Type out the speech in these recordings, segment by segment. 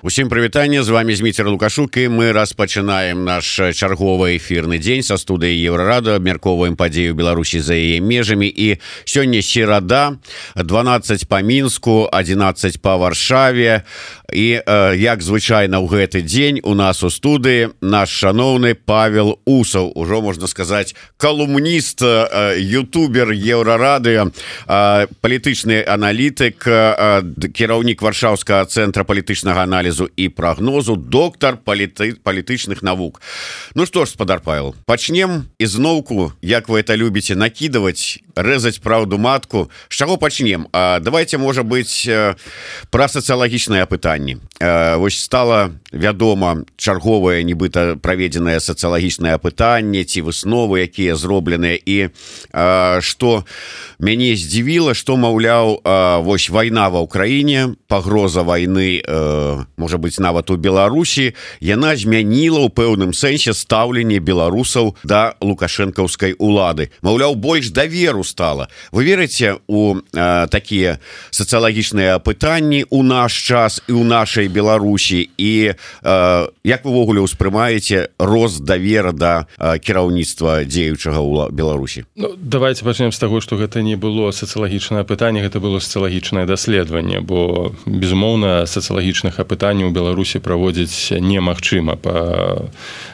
Усім прывітанне, з вами Зміцер Лукашук, і мы распачынаем наш чарговы эфірны дзень са студыі Еўрарада, абмяркоўваем падзею Беларусі за яе межамі. І сёння серада, 12 па Мінску, 11 па Варшаве. І як звычайна ў гэты дзень у нас у студыі наш шаноўны Павел Усаў, ужо можна сказаць калумніст, ютубер Еўрарады, палітычны аналітык, кіраўнік Варшаўскага цэнтра палітычнага аналізу і прагнозу, доктар палітычных навук. Ну што ж, спадар Павел, пачнем ізноўку, як вы это любіце, накідаваць, рэзаць праўду матку. З чаго пачнем? Давайте, можа быць, пра сацыялагічнае пытанне. Вось стала вядома чарговае нібыта праведзенае сацыялагічнае пытанне ці высновы, якія зробленыя, і што мяне здзівіла, што, маўляў, вось вайна ва ўкраіне, пагроза вайны, можа быць, нават у Беларусі, яна змяніла ў пэўным сэнсе стаўленне беларусаў да лукашэнкаўскай улады. Маўляў, больш даверу стала. Вы верыце у такія сацыялагічныя пытанні ў наш час і ў нашай Беларусі, і як вы ўвогуле ўспрымаеце рост давера да кіраўніцтва дзеючага ў Беларусі? Ну, давайте пачнем з таго, што гэта не было сацыялагічнае пытанне, гэта было сацыялагічнае даследаванне, бо, безумоўна, сацыялагічных апытанняў у Беларусі праводзіць немагчыма па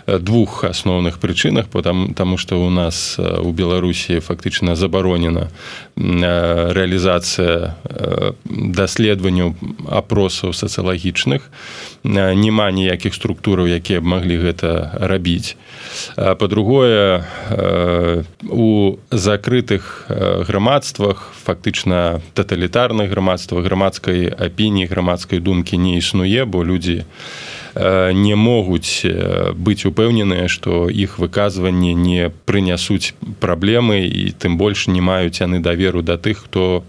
двух асноўных прычынах, таму што ў нас у Беларусі фактычна забаронена рэалізацыя даследаванняў апросаў сацыялагічных, няма ніякіх структураў, якія б маглі гэта рабіць. Па-другое, у закрытых грамадствах, фактычна таталітарных грамадствах, грамадскай апініі, грамадскай думкі не існуе, бо людзі не могуць быць упэўненыя, што іх выказванні не прынясуць праблемы, і тым больш не маюць яны даверу да тых, хто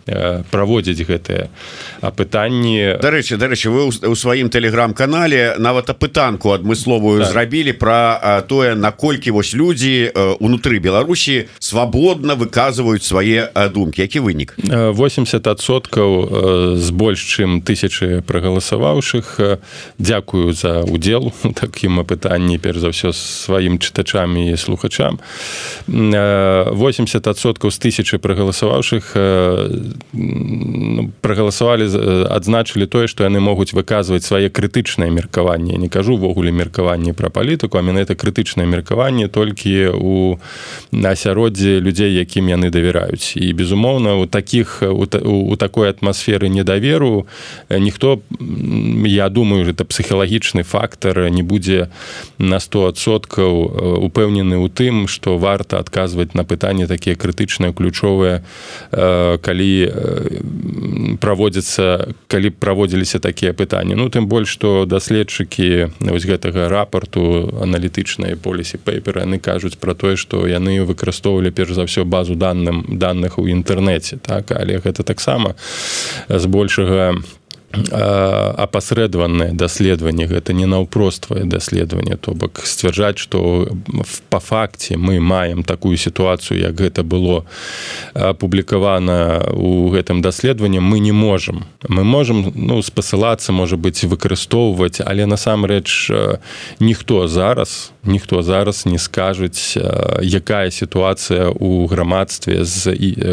праводзіць гэтыя апытанні. Дарэчы, вы ў сваім тэлеграм-канале нават апытанку адмысловую зрабілі пра тое, наколькі вось людзі унутры Беларусі свабодна выказваюць свае думкі. Які вынік? 80% з больш чым 1000 прагаласаваўшых дзякую за удзел у такім апытанні, перш за ўсё сваім чытачам і слухачам. 80% з 1000 прагаласаваўшых прагаласавалі, адзначылі тое, што яны могуць выказваць свае крытычнае меркаванне. Я не кажу ўвогуле меркаванне пра палітыку, а менавіта крытычнае меркаванне толькі у асяроддзі людзей, якім яны давяраюць. І, безумоўна, у такой атмасферы недаверу ніхто, я думаю, гэта псіхалагічны фактор, не будзе на 100% упэўнены ў тым, што варта адказваць на пытанні такія крытычныя, ключовыя, калі праводзіліся такія пытанні. Ну, тым больш, што даследчыкі вось гэтага рапарту аналітычнай policy paper, яны кажуць пра тое, што яны выкарыстоўвалі перш за ўсё базу даных у інтэрнэце, так? Але гэта таксама збольшага апасрэдаванае даследаванне, гэта не наўпроствае даследаванне, то бок сцвярджаць, што па факце мы маем такую сітуацыю, як гэта было апублікавана ў гэтым даследаванні, мы не можам. Мы можам, спасылацца, можа быць, выкарыстоўваць, але насамрэч ніхто зараз не скажуць, якая сітуацыя ў грамадстве,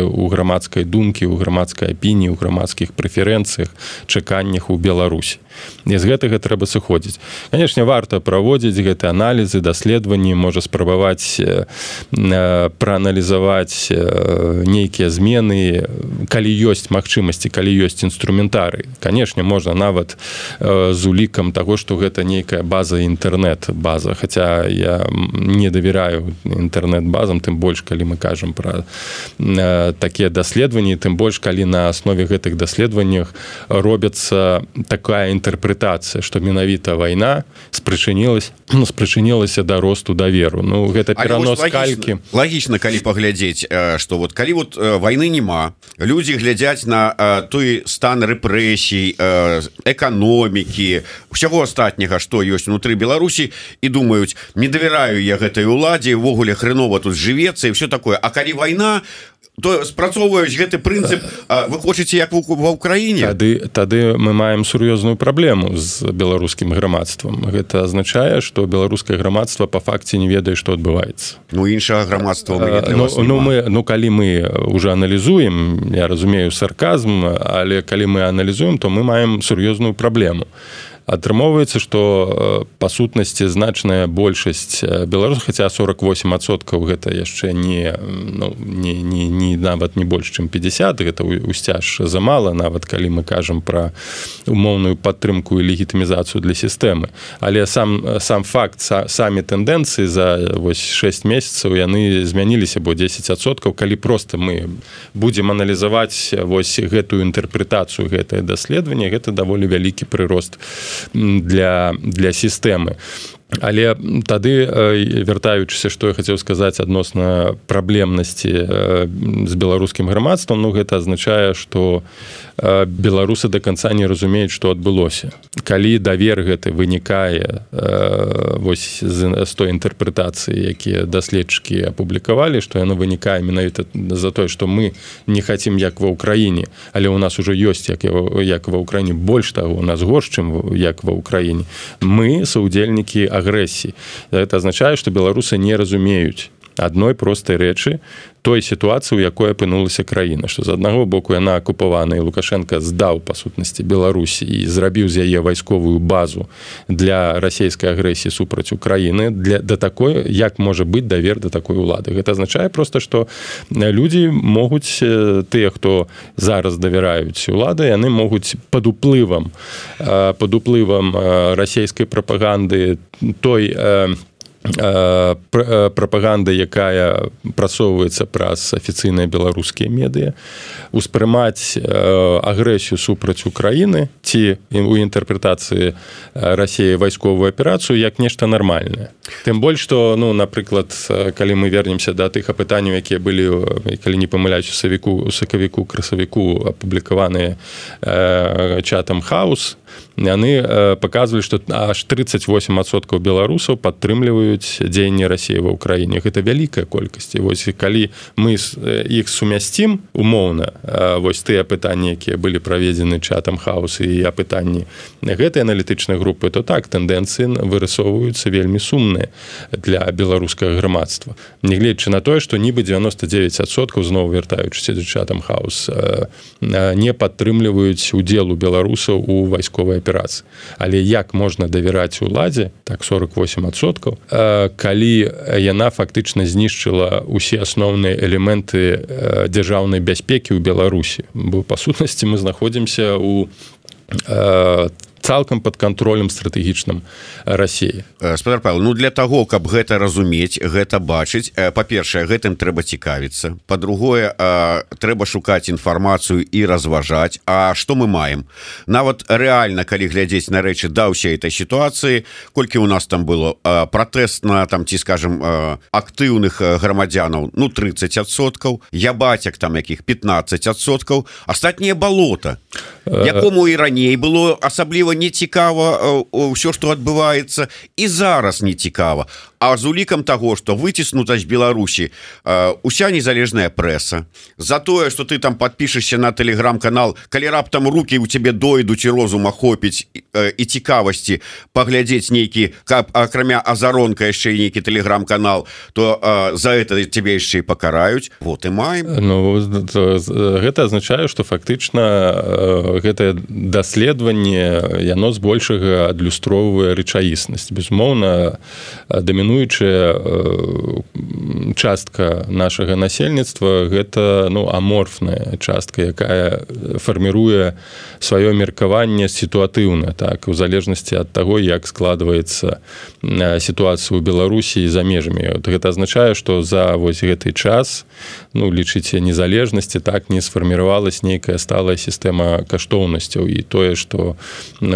у грамадскай думкі, у грамадскай апініі, у грамадскіх прэферэнцыях, чаканнях у Беларусі. І з гэтага трэба сыходзіць. Канешне, варта праводзіць гэты аналізы, даследаванні, можа спрабаваць прааналізаваць нейкія змены, калі ёсць магчымасці, калі ёсць інструментарый. Канешне, можна нават з улікам таго, што гэта нейкая база інтэрнэт-база, хаця я не давяраю інтэрнэт-базам, тым больш, калі мы кажам пра такія даследаванні, тым больш, калі на аснове гэтых даследаваннях робяцца такая інтэрпрэтацыя, што менавіта вайна спрычынілася да росту даверу. Ну, гэта перанос калькі. Лагічна, калі паглядзець, што вот калі вот вайны няма, людзі глядзяць на той стан рэпрэсій, эканомікі, ўсяго астатняга, што ёсць унутры Беларусі, і думаюць, не давяраю я гэтай уладзе, увогуле хрэнова тут жывецца і ўсё такое. А калі вайна, то спрацоўваюць гэты прынцып, вы хочаце як ва ўкраіне? Тады мы маем сур'ёзную праблему з беларускім грамадствам. Гэта азначае, што беларускае грамадства па факце не ведае, што адбываецца. Іншага грамадства калі мы уже аналізуем, я разумею сарказм, але калі мы аналізуем, то мы маем сур'ёзную праблему. Атрымоўваецца, што па сутнасці значная большасць беларусаў, хаця 48% гэта яшчэ не нават не больш, чым 50, гэта усцяж замала, нават калі мы кажам пра умоўную падтрымку і легітымізацыю для сістэмы. Але сам факт, самі тэндэнцыі за 6 месяцаў яны змяніліся, бо 10%, калі проста мы будзем аналізаваць гэтую інтэрпрэтацыю, гэтае даследаванне, гэта даволі вялікі прырост для сістэмы. Але тады, вяртаючыся, што я хацеў сказаць адносна праблемнасці з беларускім грамадствам, гэта азначае, што беларусы да канца не разумеюць, што адбылося. Калі давер гэты вынікае з той інтэрпрэтацыі, якія даследчыкі апублікавалі, што яно вынікае менавіта за тое, што мы не хацім як ва ўкраіне, але ў нас ужо ёсць як ва ўкраіне, больш таго, у нас горш, чым як ва ўкраіне. Мы саўдзельнікі агрэсіі. Гэта азначае, што беларусы не разумеюць адной простай рэчы, той сітуацыі, у якой апынулася краіна, што з аднаго боку яна акупавана, і Лукашенко здаў, па сутнасці, Беларусі і зрабіў з яе вайсковую базу для расійскай агрэсіі супраць Украіны, да такой, як можа быць давер да такой улады. Гэта азначае проста, што людзі могуць, тыя, хто зараз давяраюць улады, яны могуць пад уплывам расійскай прапаганды, той прапаганда, якая прасоўваецца праз афіцыйныя беларускія медыа, успрымаць агрэсію супраць Украіны ці у інтэрпрэтацыі Расіі вайсковую аперацыю як нешта нармальнае. Тым больш, што, напрыклад, калі мы вернемся да тых апытанняў, якія былі, калі не памыляюсь, у сакавіку, красавіку апублікаваныя чатам Хаус, яны паказвалі, што аж 38% беларусаў падтрымліваюць дзеянні Расіі ва ўкраіне. Гэта вялікая колькасць. Вось калі мы іх сумясцім умоўна, вось тыя апытанні, якія былі праведзены чатам Хаус і апытанні гэтай аналітычнай групы, то так, тэндэнцыі вырысоўваюцца вельмі сумныя для беларускага грамадства. Нягледзячы на тое, што нібы 99%, зноў вяртаючыся да чатам Хаус, не падтрымліваюць удзелу беларусаў у вайсковай аперацыі. Але як можна давяраць уладзе, так 48%, калі яна фактычна знішчыла ўсе асноўныя элементы дзяржаўнай бяспекі ў Беларусі? Бо па сутнасці мы знаходзімся у цалкам пад кантролем стратэгічным Расіі. Спадар Павел, для таго, каб гэта разумець, гэта бачыць, па-першае, гэтым трэба цікавіцца. Па-другое, трэба шукаць інфармацыю і разважаць. А што мы маем? Нават рэальна, калі глядзець на рэчы да ўсёй этой сітуацыі, колькі ў нас там было пратэст на, ці, скажем, актыўных грамадзянаў, 30%, ябацяк там якіх 15%, астатняе балота, якому і раней было асабліва не цікава ўсё, што адбываецца, і зараз не цікава. А з улікам таго, што выціснута з Беларусі уся незалежная прэса, за тое, што ты там падпішешся на тэлеграм-канал, калі раптам рукі ў цябе дойдуць і розум ахопіць і цікавасці паглядзець нейкі, каб акрамя азаронка яшчэ нейкі тэлеграм-канал, то за гэта цябе яшчэ і пакараюць. Вот і маем. Гэта азначае, што фактычна гэтае даследаванне яно збольшага адлюстроўвае рэчаіснасць. Безумоўна, дамінуючая частка нашага насельніцтва гэта аморфная частка, якая фарміруе сваё меркаванне сітуатыўна, так, у залежнасці ад таго, як складваецца сітуацыя ў Беларусі за межамі. Гэта азначае, што за вось гэты час, лічыце незалежнасці, так, не сфарміравалась нейкая сталая сістэма каштоўнасцяў, і тое, што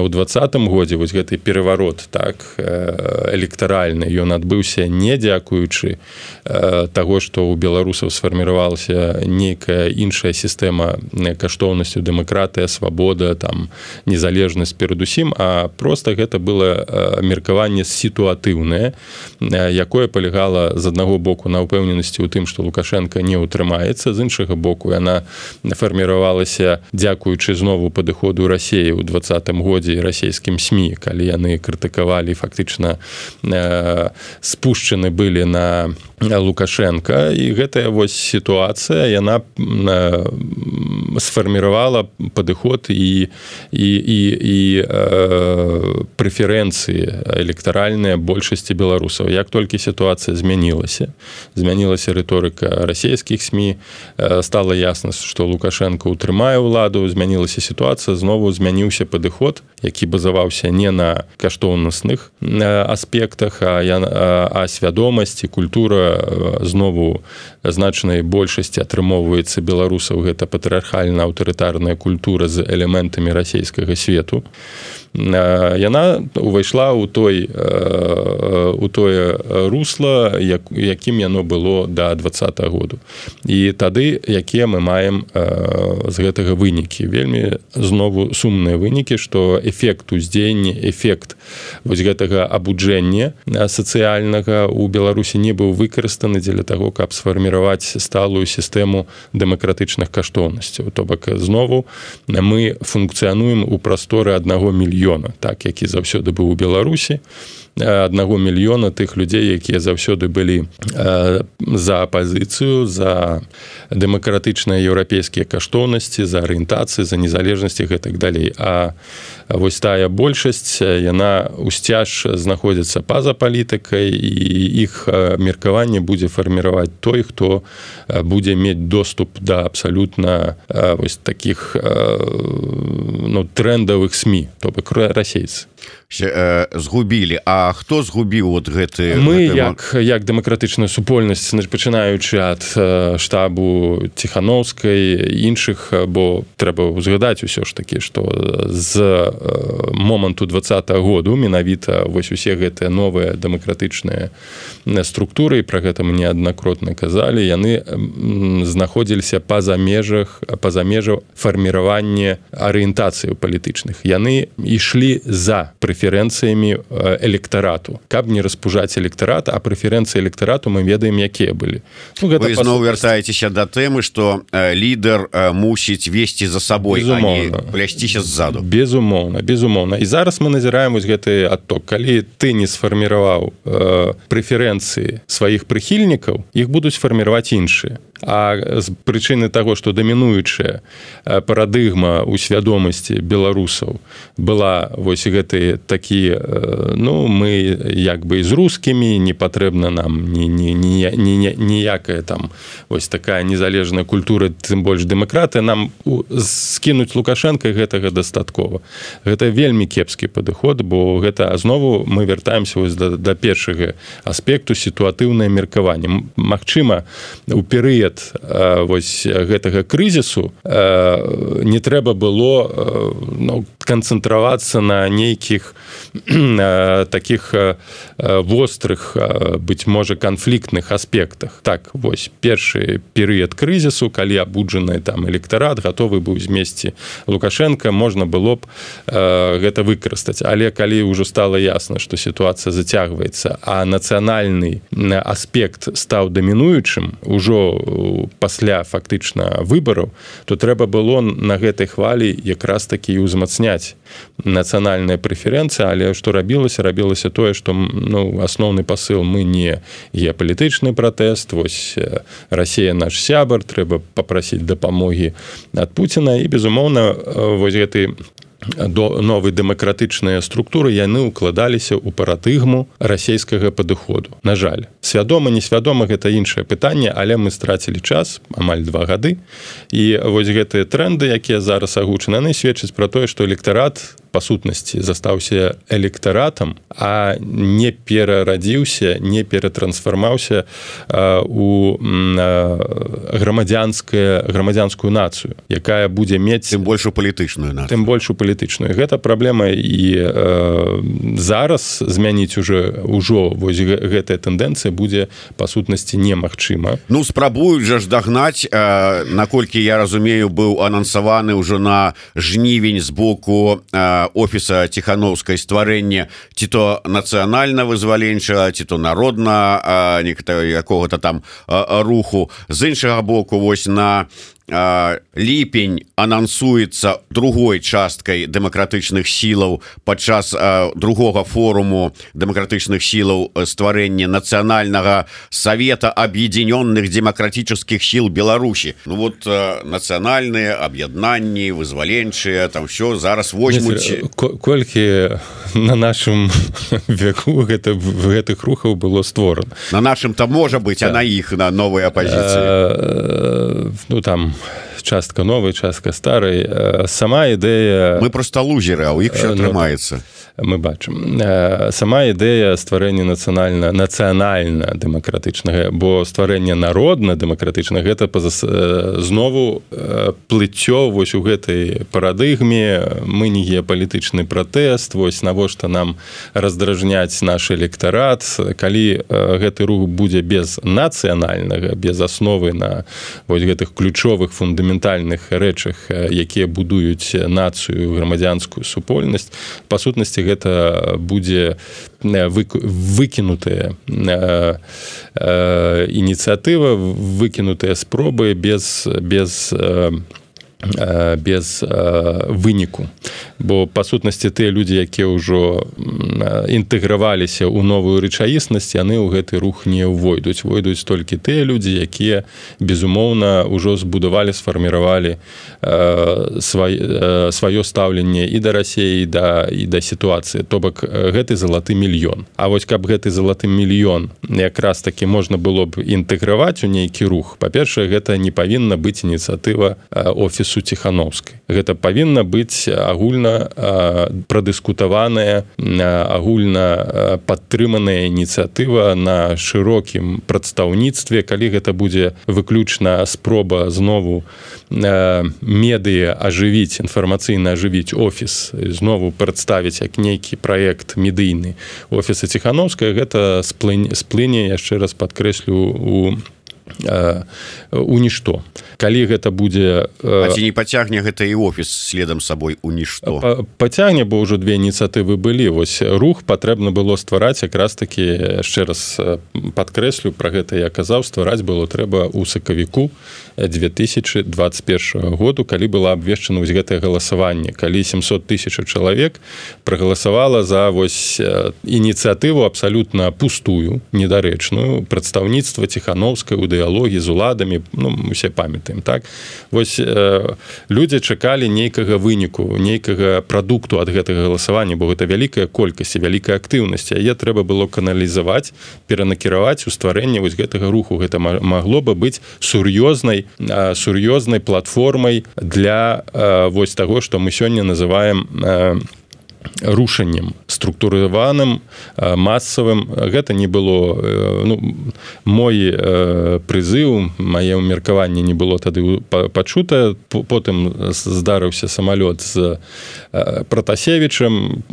ў 2020 годзе вось гэты пераварот так электаральны ён адбыўся не дзякуючы таго што ў беларусаў сфарміравалася нейкая іншая сістэма каштоўнасцю, дэмакратыя, свабода, там незалежнасць перадусім, а проста гэта было меркаванне сітуатыўнае, якое палягала з аднаго боку на ўпэўненасці ў тым, што Лукашенко не ўтрымаецца, з іншага боку яна фарміравалася дзякуючы знову падыходу Расіі ў 2020 годзе і расійскім СМІ, калі яны крытыкавалі, фактычна спушчаны былі на Лукашенко, і гэтая вось сітуацыя яна сфарміравала падыход і прэферэнцыі электаральныя большасці беларусаў. Як толькі сітуацыя змянілася рыторыка расійскіх СМІ, стала ясна, што Лукашенко ўтрымае ўладу, змянілася сітуацыя, знову змяніўся падыход, які базаваўся не на каштоўнасных аспектах, а свядомасці, культура знову значнай большасці атрымоўваецца беларусаў, гэта патрыархальна-аўтарытарная культура з элементамі расійскага свету. Яна увайшла ў тое русла, якім яно было да 2020 году. І тады, якія мы маем з гэтага вынікі? Вельмі знову сумныя вынікі, што эфект уздзеяння, эфект вось гэтага абуджэння сацыяльнага ў Беларусі не быў выкарыстаны дзеля таго, каб сфарміраваць сталую сістэму дэмакратычных каштоўнасцяў. То бок знову мы функцыянуем у прасторы 1 мільёна, так, які заўсёды быў у Беларусі, 1 мільёна тых людзей, якія заўсёды былі за апазіцыю, за дэмакратычныя еўрапейскія каштоўнасці, за арыентацыі, за незалежнасць і гэтак далей. А вось тая большасць, яна ўсцяж знаходзіцца па-за палітыкай, і іх меркаванне будзе фарміраваць той, хто будзе мець доступ да абсалютна вось такіх трендавых СМІ, то бок расейцы. Згубілі. А хто згубіў вот гэты? Мы, як дэмакратычная супольнасць, пачынаючы ад штабу Ціхановскай, іншых, бо трэба ўзгадаць усё ж такі, што з моманту 2020 году менавіта вось усе гэтыя новыя дэмакратычныя структуры, і пра гэта мы неаднакратна казалі, яны знаходзіліся па-за межаў фарміравання арыентацыяў палітычных. Яны ішлі за прэферэнцыямі электарату. Каб не распужаць электарат, а прэферэнцыі электарату мы ведаем, якія былі. Вы зноў вяртаецеся да тэмы, што лідар мусіць весці за сабой, а не плясціся ззаду. Безумоўна. І зараз мы назіраем вось гэты адток. Калі ты не сфарміраваў прэферэнцыі сваіх прыхільнікаў, іх будуць фарміраваць іншыя. А з прычыны таго, што дамінуючая парадыгма ў свядомасці беларусаў была вось гэты такі, мы як бы з рускімі, не патрэбна нам ніякая там вось такая незалежная культура, тым больш дэмакратыя, нам скінуць Лукашенка, гэтага дастаткова. Гэта вельмі кепскі падыход, бо гэта знову мы вяртаемся вось да першага аспекту, сітуатыўнае меркаванне. Магчыма, у перыяд вось гэтага крызісу не трэба было канцэнтравацца на нейкіх такіх вострых, быць можа, канфліктных аспектах. Так, вось першы перыяд крызісу, калі абуджаны там электарат гатовы быў змесці Лукашенка, можна было б гэта выкарыстаць. Але калі ўжо стала ясна, што сітуацыя зацягваецца, а нацыянальны аспект стаў дамінуючым ужо пасля фактычна выбараў, то трэба было на гэтай хвалі якраз такі ўзмацняць нацыянальная прэферэнцыя, але што рабілася тое, што асноўны пасыл, мы не геапалітычны пратэст, вось Расія наш сябар, трэба папрасіць дапамогі ад Пуціна, і безумоўна вось гэты новыя дэмакратычныя структуры яны укладаліся ў парадыгму расійскага падыходу. На жаль, свядома, несвядома, гэта іншае пытанне, але мы страцілі час, амаль 2 гады, і вось гэтыя тренды, якія зараз агучаны, яны сведчаць пра тое, што электарат па сутнасці застаўся электаратам, а не перарадзіўся, не ператрансфармаўся у грамадзянскую нацыю, якая будзе мець тым большую палітычную нацыю. Тым большую палітычную. Гэта праблема, і зараз змяніць ужо вось гэтая тэндэнцыя будзе па сутнасці немагчыма. Ну, спрабуюць жа ж дагнаць, наколькі я разумею, быў анансаваны ўжо на жнівень з боку офіса Ціханаўскай стварэнне ці то нацыянальна-вызваленчага, ці то народна якога-то там руху. З іншага боку, вось на ліпень анансуецца другой часткай дэмакратычных сілаў падчас другога форуму дэмакратычных сілаў стварэння нацыянальнага савета аб'ядзінённых дэмакратычных сіл Беларусі. Ну вот нацыянальныя аб'яднанні, вызваленчыя, там все зараз возьмуць. Колькі на нашым веку гэтых рухаў было створана? На нашым там можа быць, а на іх, на новай апазіцыі. Ну там частка новая, частка старай. Сама ідэя... Мы проста лузеры, а ў іх все атрымаецца. Мы бачым. Сама ідэя стварэння нацыянальна-дэмакратычнага, бо стварэнне народна-дэмакратычнага, гэта знову плыццё вось у гэтай парадыгме. Мы не геапалітычны пратэст, вось навошта нам раздражняць наш электарат. Калі гэты рух будзе без нацыянальнага, без асновы на вось гэтых ключовых фундаментальных рэчах, якія будуюць нацыю, грамадзянскую супольнасць, па сутнасці гэта будзе выкінутая ініцыятыва, выкінутыя спробы без выніку. Бо па сутнасці тыя людзі, якія ўжо інтэграваліся ў новую рэчаіснасць, яны ў гэты рух не ўвойдуць. Войдуць толькі тыя людзі, якія безумоўна ўжо збудавалі, сфарміравалі сваё стаўленне і да Расіі, і да сітуацыі. То бок гэты залаты мільён. А вось каб гэты залаты мільён якраз такі можна было б інтэграваць у нейкі рух, па-першае, гэта не павінна быць ініцыятыва офісу Ціханаўскай. Гэта павінна быць агульна прадыскутаваная, агульна падтрыманая ініцыятыва на шырокім прадстаўніцтве. Калі гэта будзе выключна спроба знову медыа ажывіць, інфармацыйна ажывіць офіс, знову прадставіць як нейкі праект медыйны офіса Ціханаўскай, гэта сплыне, яшчэ раз падкрэслю, у нішто. Калі гэта будзе... А ці не пацягне гэта і офіс следам сабой у нішто? Пацягне, бо ўжо две ініцыятывы былі. Вось рух патрэбна было ствараць, якраз такі, яшчэ раз падкрэслю, пра гэта я казаў, ствараць было трэба ў сакавіку 2021 году, калі было абвешчана вось гэтае галасаванне, калі 700 000 чалавек прагаласавала за вось ініцыятыву абсалютна пустую, недарэчную, прадстаўніцтва Ціханаўскай у дыялогі з уладамі, ну, мы все памятаем, так? Вось людзі чакалі нейкага выніку, нейкага прадукту ад гэтага галасавання, бо гэта вялікая колькасць, вялікая актыўнасць, яе трэба было каналізаваць, перанакіраваць у стварэнне вось гэтага руху. Гэта магло бы быць сур'ёзнай платформай для вось таго, што мы сёння называем рушаннем структурываным, масавым. Гэта не было, ну, мой прызыў, мае меркаванне не было тады пачута. Потым здарыўся самалёт з Пратасевічам,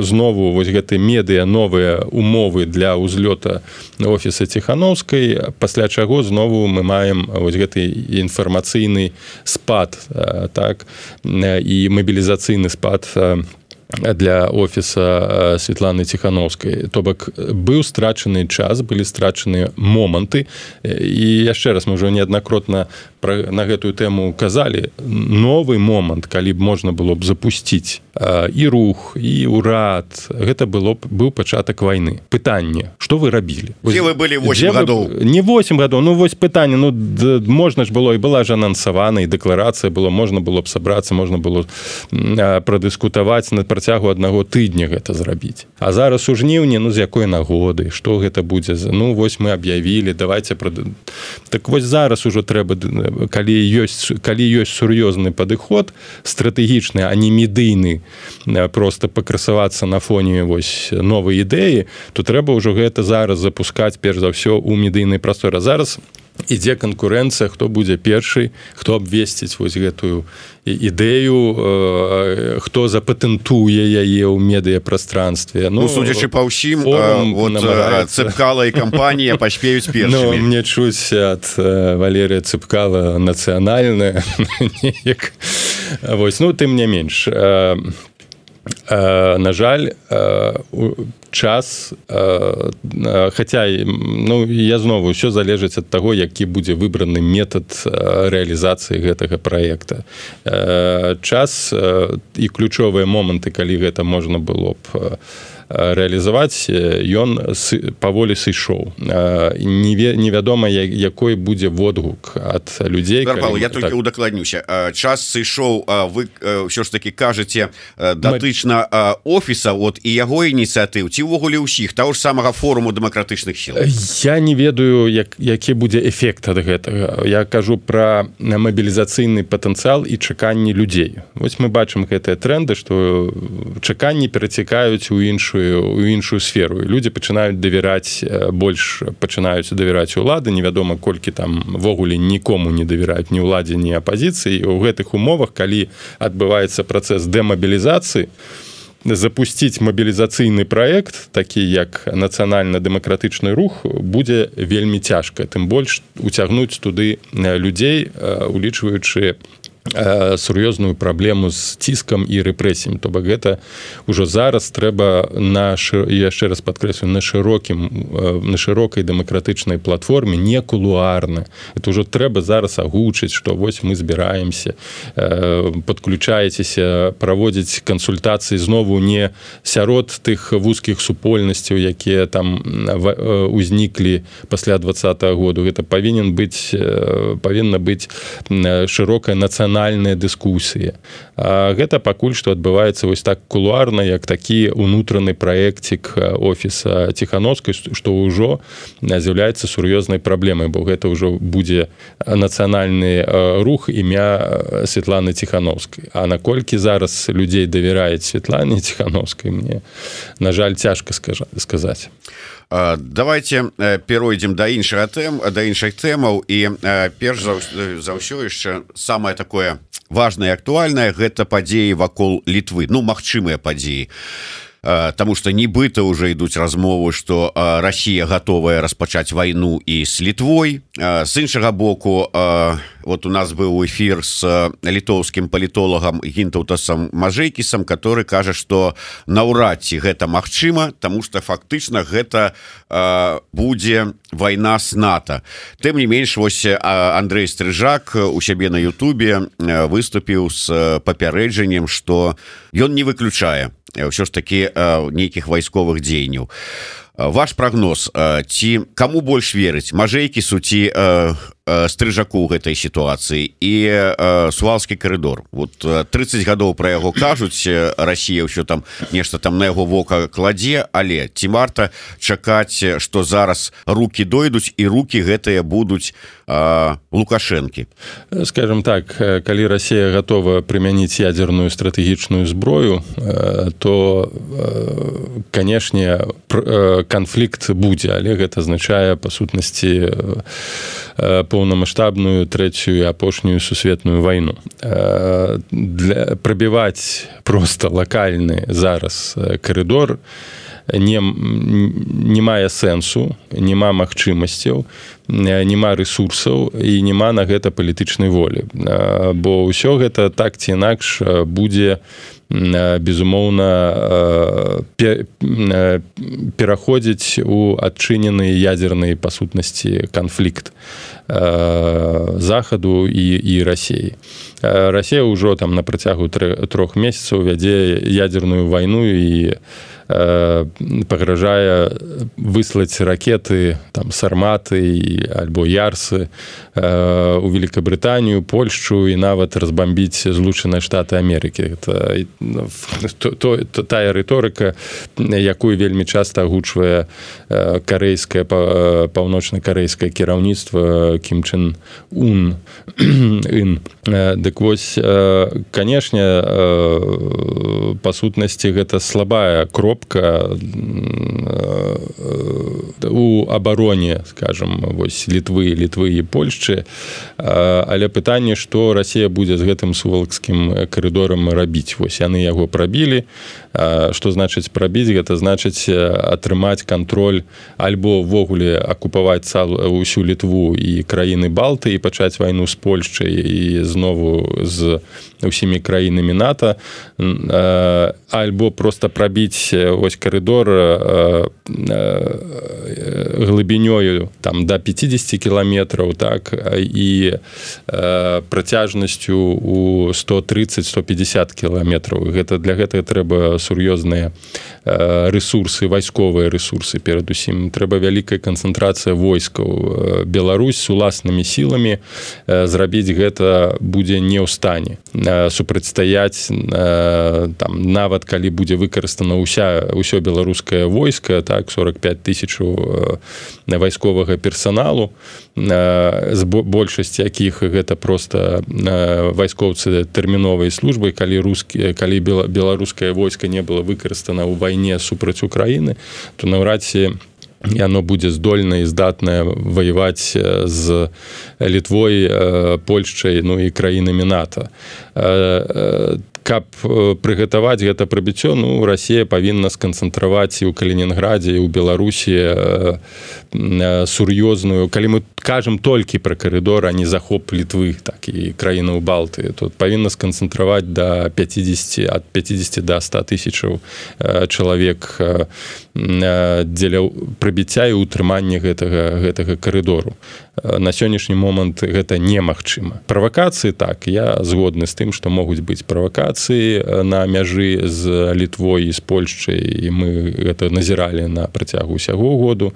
знову вось гэты медыа, новыя умовы для ўзлёта офіса Ціханаўскай, пасля чаго знову мы маем вось гэты інфармацыйны спад, так, і мабілізацыйны спад для офіса Святланы Ціханаўскай. То бок быў страчаны час, былі страчаны моманты, і яшчэ раз мы ўжо неаднакратна на гэтую тэму казалі, новы момант, калі б можна было б запусціць і рух, і ўрад, гэта быў пачатак вайны. Пытанне, што вы рабілі? Дзе вы былі 8 гадоў? Не 8 гадоў, ну вось пытанне, ну можна ж было, і была ж анансавана, і дэкларацыя была, можна было б сабрацца, можна было прадыскутаваць на працягу аднаго тыдня гэта зрабіць. А зараз у жніўні, ну з якой нагоды, што гэта будзе? Ну вось мы аб'явілі, давайте... Так вось зараз ужо трэба, калі ёсць сур'ёзны падыход, стратэгічны, а не медыйны, просто пакрасавацца на фоне вось новай ідэі, то трэба ўжо гэта зараз запускаць перш за ўсё ў медыйнай прасторы. Зараз ідзе канкурэнцыя, хто будзе першы, хто абвесціць вось гэтую ідэю, хто запатэнтуе яе ў медыяпрастранстве. Судзячы па ўсім, Цыпкала і кампанія паспеюць першымі. Мне чуць ад Валерія Цыпкала нацыянальная. Тым не менш. На жаль, час, хаця я знову ўсё залежыць ад таго, які будзе выбраны метад рэалізацыі гэтага праекта. Час і ключовыя моманты, калі гэта можна было б рэалізаваць, ён паволі сышоў. Невядома, якой будзе водгук ад людзей. Я толькі удакладнюся. Час сышоў, вы ўсё ж такі кажаце датычна офіса і яго ініцыятыў, ці ўвогуле ўсіх, таго ж самага форуму дэмакратычных сіл? Я не ведаю, які будзе эфект ад гэтага. Я кажу пра мабілізацыйны патэнцыял і чаканні людзей. Вось мы бачым гэтыя тренды, што чаканні перацікаюць у іншую сферу. Людзі пачынаюць давяраць, больш пачынаюць давяраць улады, невядома, колькі там ввогуле нікому не давяраюць ні ўладзе, ні апазіцыі. У гэтых умовах, калі адбываецца працэс дэмабілізацыі, запусціць мабілізацыйны праект, такі як нацыянальна-дэмакратычны рух, будзе вельмі цяжка. Тым больш уцягнуць туды людзей, улічваючы сур'ёзную праблему з ціскам і рэпрэсіямі. То бок гэта ўжо зараз трэба яшчэ раз падкрэслю, на шырокай дэмакратычнай платформе, не кулуарна. Это ўжо трэба зараз агучыць, што вось мы збіраемся, падключаецеся, праводзіць кансультацыі знову не сярод тых вузкіх супольнасцяў, якія там узніклі пасля 20-го году. Гэта павінна быць шырокая нацыянальная дыскусія. Гэта пакуль што адбываецца вось так кулуарна, як такі ўнутраны праекцік офіса Ціхановскай, што ўжо з'яўляецца сур'ёзнай праблемай, бо гэта ўжо будзе нацыянальны рух імя Светланы Ціхановскай. А наколькі зараз людзей давяраюць Светлане Ціхановскай, мне, на жаль, цяжка сказаць. Давайте перейдем до іншых тэмаў, і перш за ўсё яшчэ самае такое важнае і актуальнае — гэта падзеі вакол Літвы, магчымыя падзеі. Таму што нібыта ўжо ідуць размовы, што Расія гатовая распачаць вайну і з Літвой. З іншага боку, у нас быў эфір з літоўскім палітолагам Гінтаўтасам Мажэйкісам, который кажа, што наўрад ці гэта магчыма, таму што фактычна гэта будзе вайна з НАТО. Тым не менш, вось Андрэй Стрыжак у сябе на Ютубе выступіў з папярэджаннем, што ён не выключае ўсё ж такі нейкіх вайсковых дзеянняў. Ваш прагноз, ці каму больш верыць, Мажэйкісу ці Стрыжаку ў гэтай сітуацыі і Суалскі карыдор? 30 гадоў пра яго кажуць, Расія ўсё там нешта там на яго вока кладзе, але ці варта чакаць, што зараз рукі дойдуць і рукі гэтыя будуць Лукашэнкі? Скажем так, калі Расія гатова прымяніць ядзерную стратэгічную зброю, то, канешне, канфлікт будзе, але гэта азначае, па сутнасці, поўнамаштабную трэцюю і апошнюю сусветную вайну. Прабіваць проста лакальны зараз карыдор не мае сэнсу, нема магчымасцяў, нема рэсурсаў і нема на гэта палітычнай волі. Бо ўсё гэта так ці інакш будзе, безумоўна, пераходзіць у адчынены ядзерны, па сутнасці, канфлікт Захаду і Расіі. Расія ўжо там на працягу 3 месяцаў вядзе ядзерную вайну і пагражае выслаць ракеты там сарматы альбо ярсы у Великабрытанію, Польшчу і нават разбамбіць Злучаныя Штаты Амерыкі. Тая рыторыка, якую вельмі часта агучвае карэйскае паўночна-карэйскае кіраўніцтва Кім Чен Ын. Дык вось, канешне, па сутнасці гэта слабая кропка у абароне, скажем, вось Літвы і Польшчы, але пытанне, што Расія будзе з гэтым сувалкскім карыдорам рабіць. Вось яны яго прабілі. Што значыць прабіць? Гэта значыць атрымаць кантроль альбо ўвогуле акупаваць усю Літву і краіны Балты і пачаць вайну з Польшчай і знову з усімі краінамі НАТО, альбо проста прабіць вось карыдор глыбінёю там да 50 кіламетраў, так, і працяжнасцю у 130-150 кіламетраў. Для гэтага трэба сур'ёзныя рэсурсы, вайсковыя рэсурсы перадусім. Трэба вялікая канцэнтрацыя войскаў. Беларусь з уласнымі сіламі зрабіць гэта будзе не ў стане. Супрацьстаяць там, нават калі будзе выкарыстана ўсё беларускае войска, так, 45 000 вайсковага персаналу, з большасці якіх гэта проста вайскоўцы тэрміновай службы, калі беларускае войска не было выкарыстана ў вайне супраць Украіны, то наўрад ці яно будзе здольна і здатнае ваяваць з Літвой, Польшчай, ну і краінамі НАТО. Каб прыгатаваць гэта прабіццё, ну, Расія павінна сканцэнтраваць і ў Калінінградзе, і ў Беларусі сур'ёзную, калі мы кажам толькі пра карыдор, а не захоп Літвы, так, і краінаў Балты, то павінна сканцэнтраваць ад 50 да 100 тысячаў чалавек дзеля прабіцця і ўтрымання гэтага карыдору. На сённяшні момант гэта немагчыма. Правакацыі, так, я згодны з тым, што могуць быць правакацыі на мяжы з Літвой і з Польшчай, і мы гэта назіралі на працягу ўсяго году,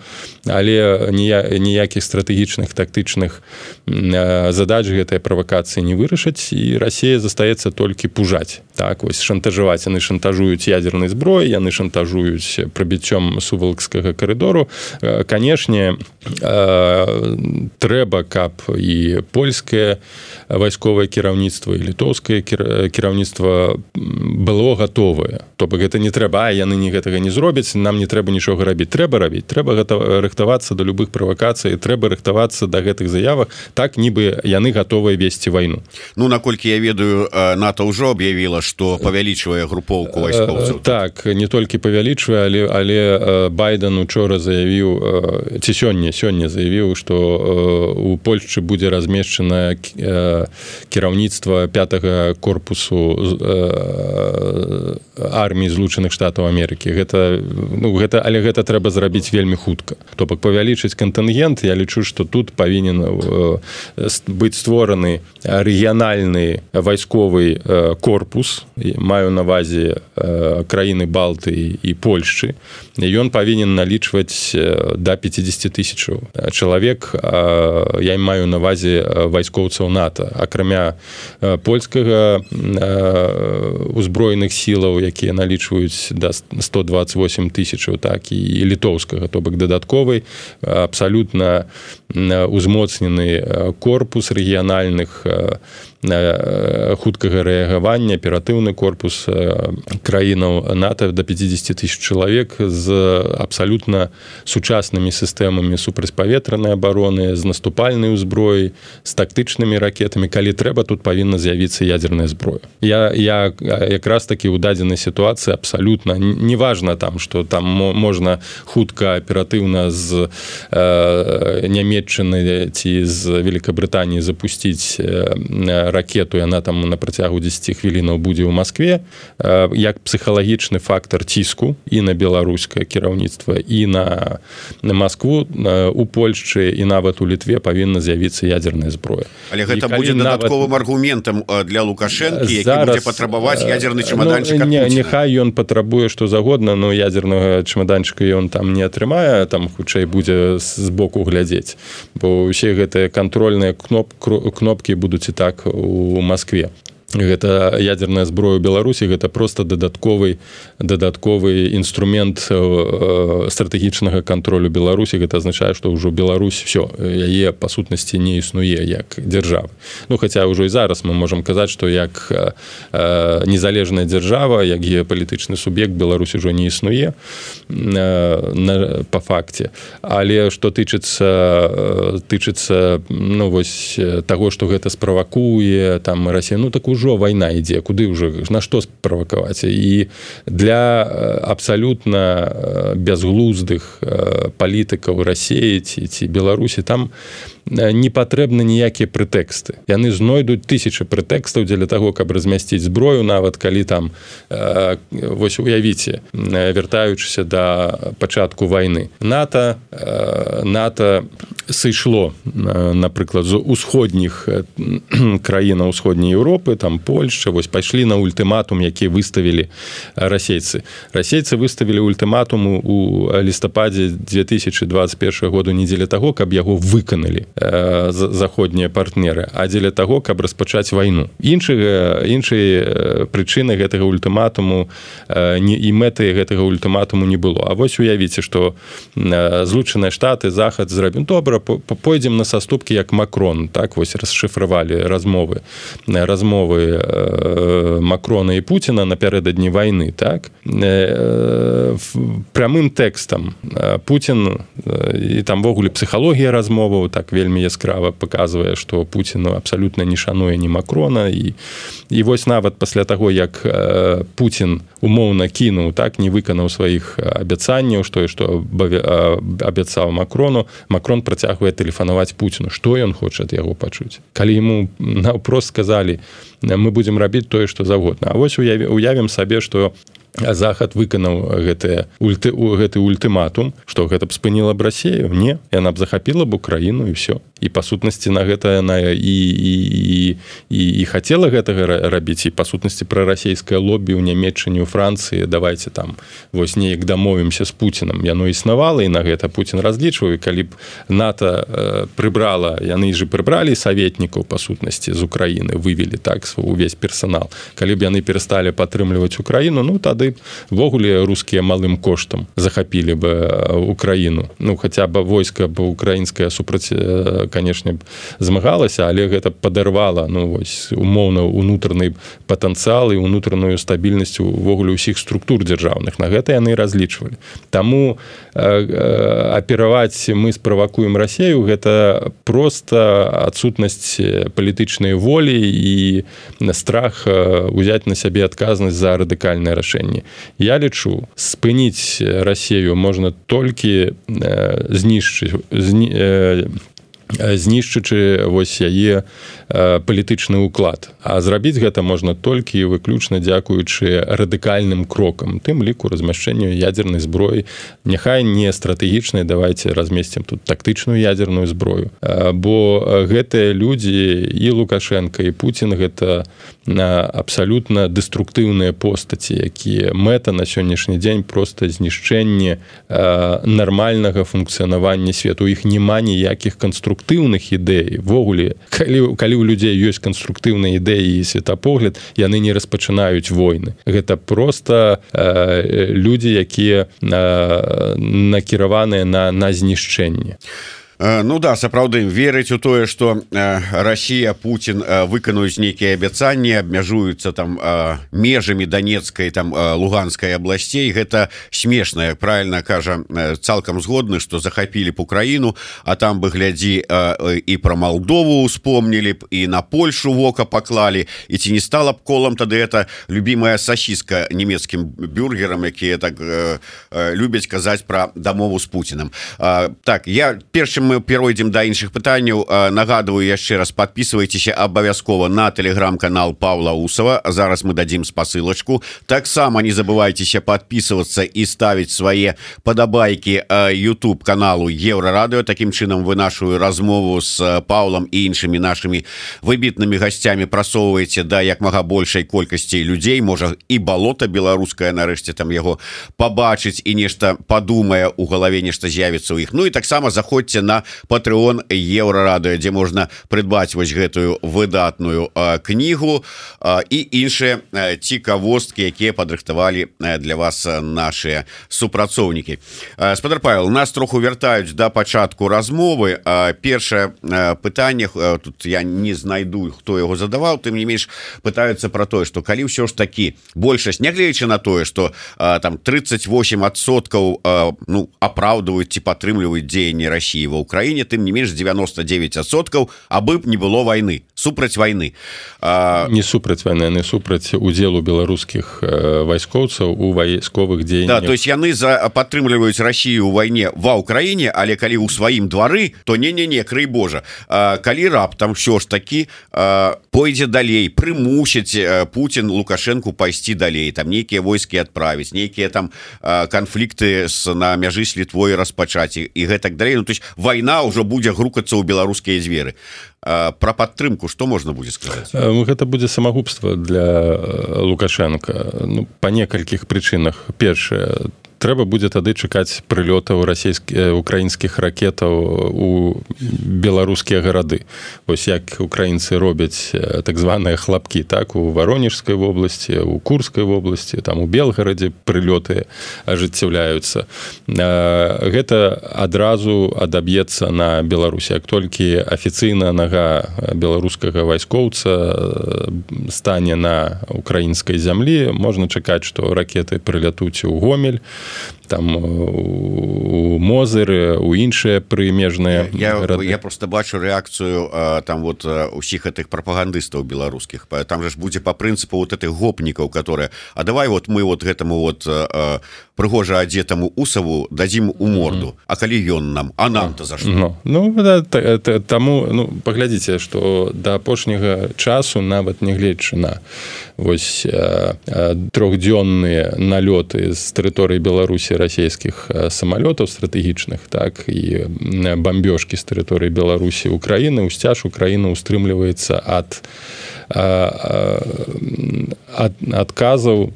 але ніякіх стратэгічных, тактычных задач гэтыя правакацыі не вырашаць, і Расія застаецца толькі пужаць. Так, вось шантажаваць. Яны шантажуюць ядзернай зброяй, яны шантажуюць прабіццём сувалкскага карыдору. Канешне, трэба, каб і польскае вайсковае кіраўніцтва, і літоўскае кіраўніцтва было гатовае. То бок гэта не трэба, яны гэтага не зробяць, нам не трэба нічога рабіць. Трэба рабіць, трэба рыхтавацца да любых правакацый, трэба рыхтавацца да гэтых заявах, так нібы яны гатовыя весці вайну. Ну, наколькі я ведаю, НАТО ўжо аб'явіла, што павялічвае групоўку вайскоўцаў. Так, не толькі павялічвае, але Байден учора заявіў, ці сёння заявіў, што у Польшчы будзе размешчана кіраўніцтва 5-го корпусу арміі Злучаных Штатаў Амерыкі. Але гэта трэба зрабіць вельмі хутка. То бок павялічыць кантынгент, я лічу, што тут павінен быць створаны рэгіянальны вайсковы корпус, маю на ўвазе краіны Балты і Польшчы. Ён павінен налічваць да 50 тысячаў чалавек, я маю на ўвазе вайскоўцаў НАТО. Акрамя польскага узброеных сілаў, якія налічваюць да 128 тысячаў, так, і літоўскага, то бок дадатковы, абсалютна узмоцнены корпус рэгіянальных хуткага рэагавання, аператыўны корпус краінаў НАТО да 50 тысяч чалавек з абсалютна сучаснымі сістэмамі супрацьпаветранай абароны, з наступальнай узброяй, з тактычнымі ракетамі. Калі трэба, тут павінна з'явіцца ядзерная зброя. Я якраз такі ў дадзенай сітуацыі абсалютна, неважна там, што там можна хутка аператыўна з Нямецчыны ці з Великабрытаніі запусціць ракету, яна там на працягу 10 хвілінаў будзе ў Маскве, як псіхалагічны фактор ціску і на беларускае кіраўніцтва, і на Маскву, у Польшчы і нават у Літве павінна з'явіцца ядерная зброя. Але гэта будзе дадатковым аргументам для Лукашэнкі, які будзе патрабаваць ядерны чемоданчык ад Пуціна. Няхай ён патрабуе што загодна, но ядернага чемоданчыка ён там не атрымае, там хутчэй будзе з боку глядзець, бо ўсе гэтыя кантрольныя кнопкі будуць і так у Маскве. Гэта ядерная зброя Беларусі, гэта просто дадатковы інструмент стратэгічнага кантролю Беларусі. Гэта азначае, што ўжо Беларусь все, яе па сутнасці не існуе як дзяржава. Ну, хаця ўжо і зараз мы можам казаць, што як незалежная дзяржава, як геапалітычны суб'ект Беларусь ужо не існуе па факце. Але што тычыцца ну, вось, таго, што гэта справакуе там Расія, ну, так ўжо вайна ідзе, куды ўжо, на што справакаваць. І для абсалютна бязглуздых палітыкаў Расіі ці Беларусі там не патрэбны ніякія прэтэксты. Яны знойдуць тысячы прэтэкстаў дзеля таго, каб размясціць зброю, нават калі там, вось уявіце, вяртаючыся да пачатку вайны. НАТО сышло, напрыклад, з усходніх краінаў усходняй Еўропы, там Польшча, вось пайшлі на ультыматум, які выставілі расейцы. Расейцы выставілі ультыматум у лістападзе 2021 году не дзеля таго, каб яго выканалі заходнія партнеры, а дзеля таго, каб распачаць вайну. Іншай прычыны гэтага ультыматуму і мэты гэтага ультыматуму не было. А вось уявіце, што Злучаныя Штаты, Захад зрабіў, добра, пойдзем на саступкі, як Макрон, так, вось расшыфравалі размовы Макрона і Пуціна напярэдадні вайны, так, прямым тэкстам Пуцін, і там вогуле псіхалогія размоваў, так, вельмі яскрава паказвае, што Пуцін абсалютна не шануе ні Макрона, і вось нават пасля таго, як Пуцін умоўна кінуў, так, не выканаў сваіх абяцанняў, што абяцаў Макрону, Макрон працягвае тэлефанаваць Пуціну. Што ён хоча ад яго пачуць? Калі яму наўпрост сказалі, мы будзем рабіць тое, што загодна. А вось уявім сабе, што Захад выканаў гэты ультыматум, што гэта б спыніла б Расію? Не, яна б захапіла б Украіну і все. І па сутнасці на гэта яна і хацела гэтага рабіць, і па сутнасці прарасійскае лобі ў Нямецчыне, у Францыі, давайте там вось неяк дамовімся з Пуцінам. Яно існавала, і на гэта Пуцін разлічваў, і калі б НАТО прыбрала, яны ж прыбралі саветнікаў па сутнасці з Украіны, вывелі так увесь персанал. Калі б яны перасталі падтрымліваць Украіну, ну тады ввогуле рускія малым коштам захапілі б Украіну. Ну, хаця б войска б украінскае супраць, канешне, змагалася, але гэта падарвала, ну, вось, умоўна, унутраны патэнцыял і унутраную стабільнасць увогуле ўсіх структур дзяржаўных. На гэта яны разлічвалі. Таму апераваць мы справакуем Расію, гэта проста адсутнасць палітычнай волі і страх узяць на сябе адказнасць за радыкальнае рашэнне. Я лічу, спыніць Расію можна толькі знішчычы вось яе палітычны ўклад. А зрабіць гэта можна толькі і выключна дзякуючы радыкальным крокам, тым ліку размяшчэнню ядзернай зброі. Няхай не стратэгічнай, давайте размесцім тут тактычную ядзерную зброю. Бо гэтыя людзі, і Лукашенко, і Пуцін, гэта абсалютна дэструктыўныя постаці, якія мэта на сённяшні дзень проста знішчэнне нармальнага функцыянавання свету. У іх няма ніякіх канструктыўных ідэй. Ввогуле, калі у людзей ёсць канструктыўныя ідэі і светапогляд, яны не распачынаюць войны. Гэта проста людзі, якія накіраваныя на знішчэнне. Ну да, сапраўды верыць у тое, што Расія, Пуцін выканаюць нейкія абяцанні, абмяжуюцца там межамі Донецкай, там Луганскай абласцей. Гэта смешна, як правільна кажа, цалкам згодны, што захапілі б Украіну, а там бы, глядзі, і пра Малдову успомнілі б, і на Польшу вока паклалі, і ці не стала б колам тады гэта любімая сасіска нямецкім бюргерам, якія так любяць казаць пра дамову з Пуцінам. Так, я першым мы перайдзем да іншых пытанняў. Нагадываю яшчэ раз, подписывайтеся абавязкова на телеграм-канал Павла Усова. Зараз мы дадим спасылочку. Таксама не забывайтеся подписываться и ставить свои подобайки YouTube каналу Еврорадио. Таким чынам вы нашу размову с Павлом и іншымі нашими выбітными гостями просовываете да як мага большай колькасці людей. Можа и болото беларускае нарэшце там его побачыць и нешта подумае у голове, нешта з'явіцца у іх. Ну и таксама заходзьте на Patreon Еврорадио, где можно придбать вось гэтую выдатную книгу и іншыя цікавосткі, якія падрыхтавалі для вас наши супрацоўнікі. Спадар Павел, нас троху вяртаюць да пачатку размовы. Першае пытанне, тут я не знайду, хто яго задаваў, тым не менш пытаюцца про тое, что калі ўсё ж таки большасць, нягледзячы на тое, что там 38% ну, апраўдваюць ці падтрымліваюць дзеянні России ва Украине, тым не менш 99% абы б не было войны, супраць войны. Не супраць войны, не супраць удзелу беларускіх вайскоўцаў у вайсковых дзеяннях. Да, то есть яны падтрымліваюць Россию у войне ва Украине, але калі ў сваім двары, то не-не-не, крый Божа. Калі раптам ўсё ж таки пойдзе далей, прымусіць Путин Лукашенко пайсці далей, там нейкія войскі адправіць, нейкія там канфлікты на мяжы з Літвой распачаць і гэтак далей. Ну, то есть война ўжо будзе грукацца ў беларускія дзверы. Про падтрымку что можно будет сказать? Гэта будзе самагубства для Лукашенко, ну, по некалькіх прычынах. Першае, трэба будзе тады чакаць прылётаў украінскіх ракетаў у беларускія гарады. Вось як украінцы робяць так званыя хлапкі, так, у Воронежскай вобласці, у Курскай вобласці, там у Белгарадзе прылёты ажыццяўляюцца. Гэта адразу адаб'ецца на Беларусі. Як толькі афіцыйна нага беларускага вайскоўца стане на украінскай зямлі, можна чакаць, што ракеты прылятуць у Гомель, там у Мозыры, у іншыя прымежныя гарады. Я просто бачу рэакцыю там вот усіх гэтых прапагандыстаў беларускіх. Там же ж будзе по прынцыпу вот этих гопнікаў, которые а давай вот мы вот гэтаму вот прыгожа адзетаму Усаву дадзім у морду. А калі ён нам, а нам-то за што? Ну, таму, ну, паглядзіце, што да апошняга часу, нават не гледзячы на вось трохдзённыя налёты з тэрыторыі Беларусі расійскіх самалётаў стратэгічных, так, і бамбёжкі з тэрыторыі Беларусі Украіны, усцяж Украіна устрымліваецца ад адказаў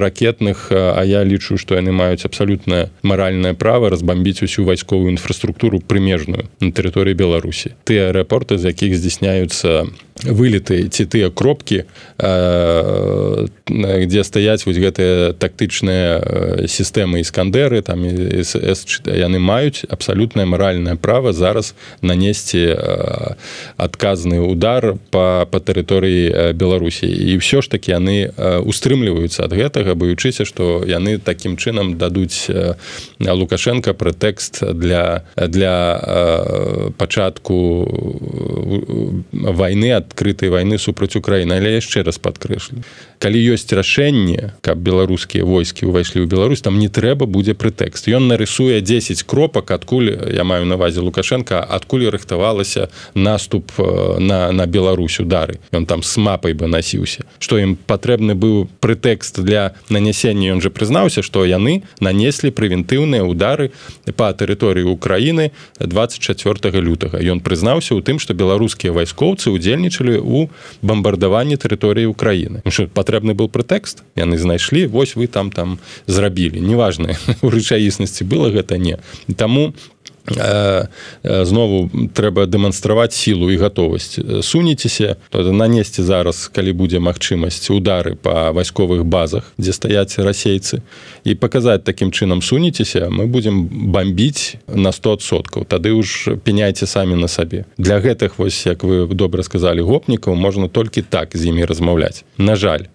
ракетных, а я лічу, што яны маюць абсалютна маральнае права разбамбіць усю вайсковую інфраструктуру прымежную на тэрыторыі Беларусі. Тыя аэропорты, з якіх здзяйсняюцца вылеты ці тыя кропкі, дзе стаяць вось гэтыя тактычныя сістэмы Іскандеры, там яны маюць абсалютнае маральнае права зараз нанесці адказны удар па тэрыторыі Беларусі. І ўсё ж такі яны устрымліваюцца ад гэтага, баючыся, што яны такім чынам дадуць Лукашенко прэтэкст для пачатку вайны, адкрытай вайны супраць Украіны. Але яшчэ раз падкрэслю, калі ёсць рашэнне, каб беларускія войскі ўвайшлі ў Беларусь, там не трэба будзе прэтэкст. Ён нарысуе 10 кропак, адкуль, я маю на ўвазе Лукашенко, адкуль рыхтавалася наступ на Беларусь, удары. Ён там с мапай бы насіўся. Што ім патрэбны быў прэтэкст для нанясення, ён жа прызнаўся, што яны нанеслі прэвентыўныя удары па тэрыторыі Украіны 24 лютага. Ён прызнаўся ў тым, што беларускія вайскоўцы удзельнічалі ў бамбардаванні тэрыторыі Украіны. Што патрэбны быў прэтэкст? Яны знайшлі, вось вы там зрабілі. Неважна, у рэчаіснасці было гэта не. Таму знову трэба дэманстраваць сілу і гатовасць. Сунецеся, нанесці зараз, калі будзе магчымасць, удары па вайсковых базах, дзе стаяць расейцы, і паказаць такім чынам: сунецеся, мы будзем бамбіць на 100%. Тады ўж пеняйце самі на сабе. Для гэтых, вось, як вы добра сказалі, гопнікаў можна толькі так з імі размаўляць. На жаль,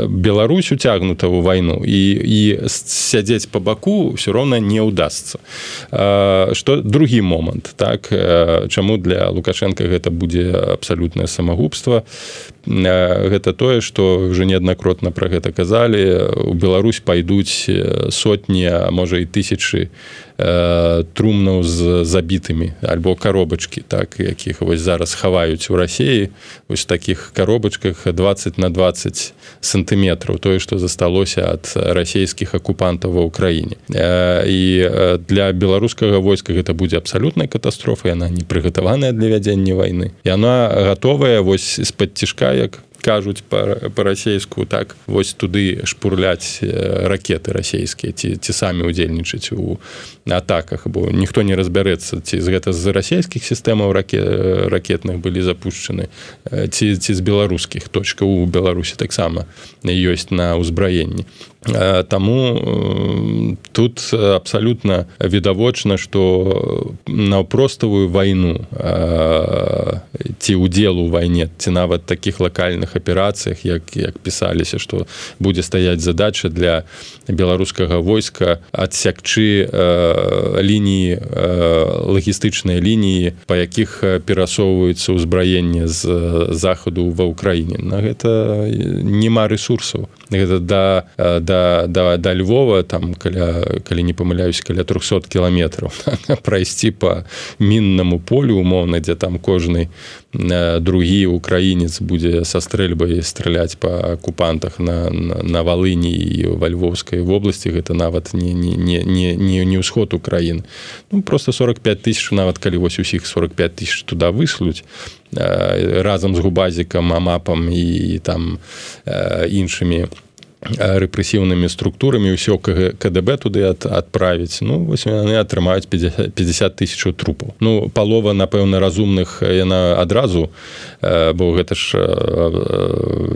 Беларусь уцягнута ў вайну, і сядзець па баку ўсё роўна не ўдасца. Што другі момант, так, чаму для Лукашенка гэта будзе абсалютнае самагубства, гэта тое, што ўжо неаднакратна пра гэта казалі, у Беларусь пайдуць сотні, а можа і тысячы трумнаў з забітымі альбо каробачкі, так, якіх вось зараз хаваюць у Расіі, вось такіх каробачках 20 на 20 сантыметраў, тое, што засталося ад расійскіх акупантаў ва ўкраіне. І для беларускага войска гэта будзе абсалютная катастрофа, яна не прыгатаваная для вядзення вайны. Яна гатовая вось з-пад цішка, як кажуць па-расейску, так, вось туды шпурляць ракеты расійскія, ці самі удзельнічаць у атаках, бо ніхто не разбярэцца, ці гэта з расійскіх сістэмаў ракетных былі запушчаны, ці з беларускіх. Точка у Беларусі таксама ёсць на ўзбраенні. Таму тут абсалютна відавочна, што наўпроставую вайну ці ўдзел у вайне, ці нават такіх лакальных аперацыях, як пісаліся, што будзе стаяць задача для беларускага войска адсякчы лініі, лагістычныя лініі, па якіх перасоўваюцца ўзбраенне з захаду ва ўкраіне. На гэта няма рэсурсаў. Гэта да Львова, там, калі не памыляюсь, каля 300 кіламетраў прайсці па міннаму полю умоўна, дзе там кожны другі украінец будзе са стрэльбай страляць па акупантах на Валыні і ва Львовскай вобласці, гэта нават не ўсход Украіны. Ну, просто 45 тысяч, нават калі вось усіх 45 тысяч туда выслуць, разам з губазікам, амапам і там іншымі рэпрэсіўнымі структурамі ўсё КДБ туды адправіць, ну, вось яны атрымаюць 50 тысяч трупаў. Ну, палова, напэўна, разумных яна адразу, бо гэта ж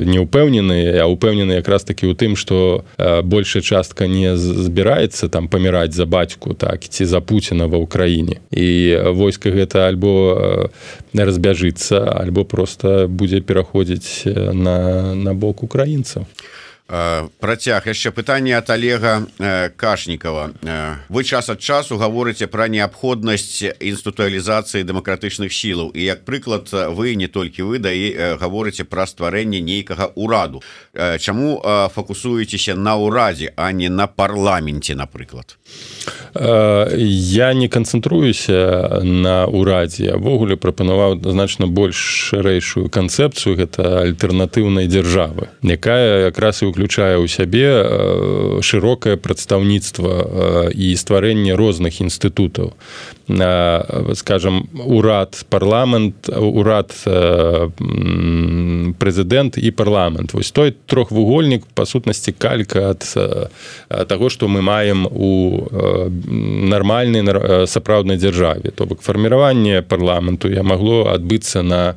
не ўпэўнены, а ўпэўнены якраз такі ў тым, што большая частка не збіраецца там паміраць за бацьку, так, ці за Пуціна ва ўкраіне. І войска гэта альбо разбяжыцца, альбо проста будзе пераходзіць на бок украінцаў. Працяг яшчэ пытанне ад Олега Кашнікова. Вы час ад часу гаворыце пра неабходнасць інстытуалізацыі дэмакратычных сілаў, і як прыклад вы, не толькі вы, гаворыце пра стварэнне нейкага ўраду. Чаму фокусуецеся на ўрадзе, а не на парламенце, напрыклад? Я не канцэнтруюся на ўрадзе. Я ввогуле прапанаваў значна больш шырэйшую канцэпцыю, гэта альтэрнатыўнай дзяржавы, якая якраз і уключае ў сябе шырокае прадстаўніцтва і стварэнне розных інстытутаў. Скажем, урад, парламент, урад, прэзідэнт і парламент. Вось той трохвугольнік, па сутнасці, калька ад таго, што мы маем у нармальнай сапраўднай дзяржаве. То бок фарміраванне парламенту магло адбыцца на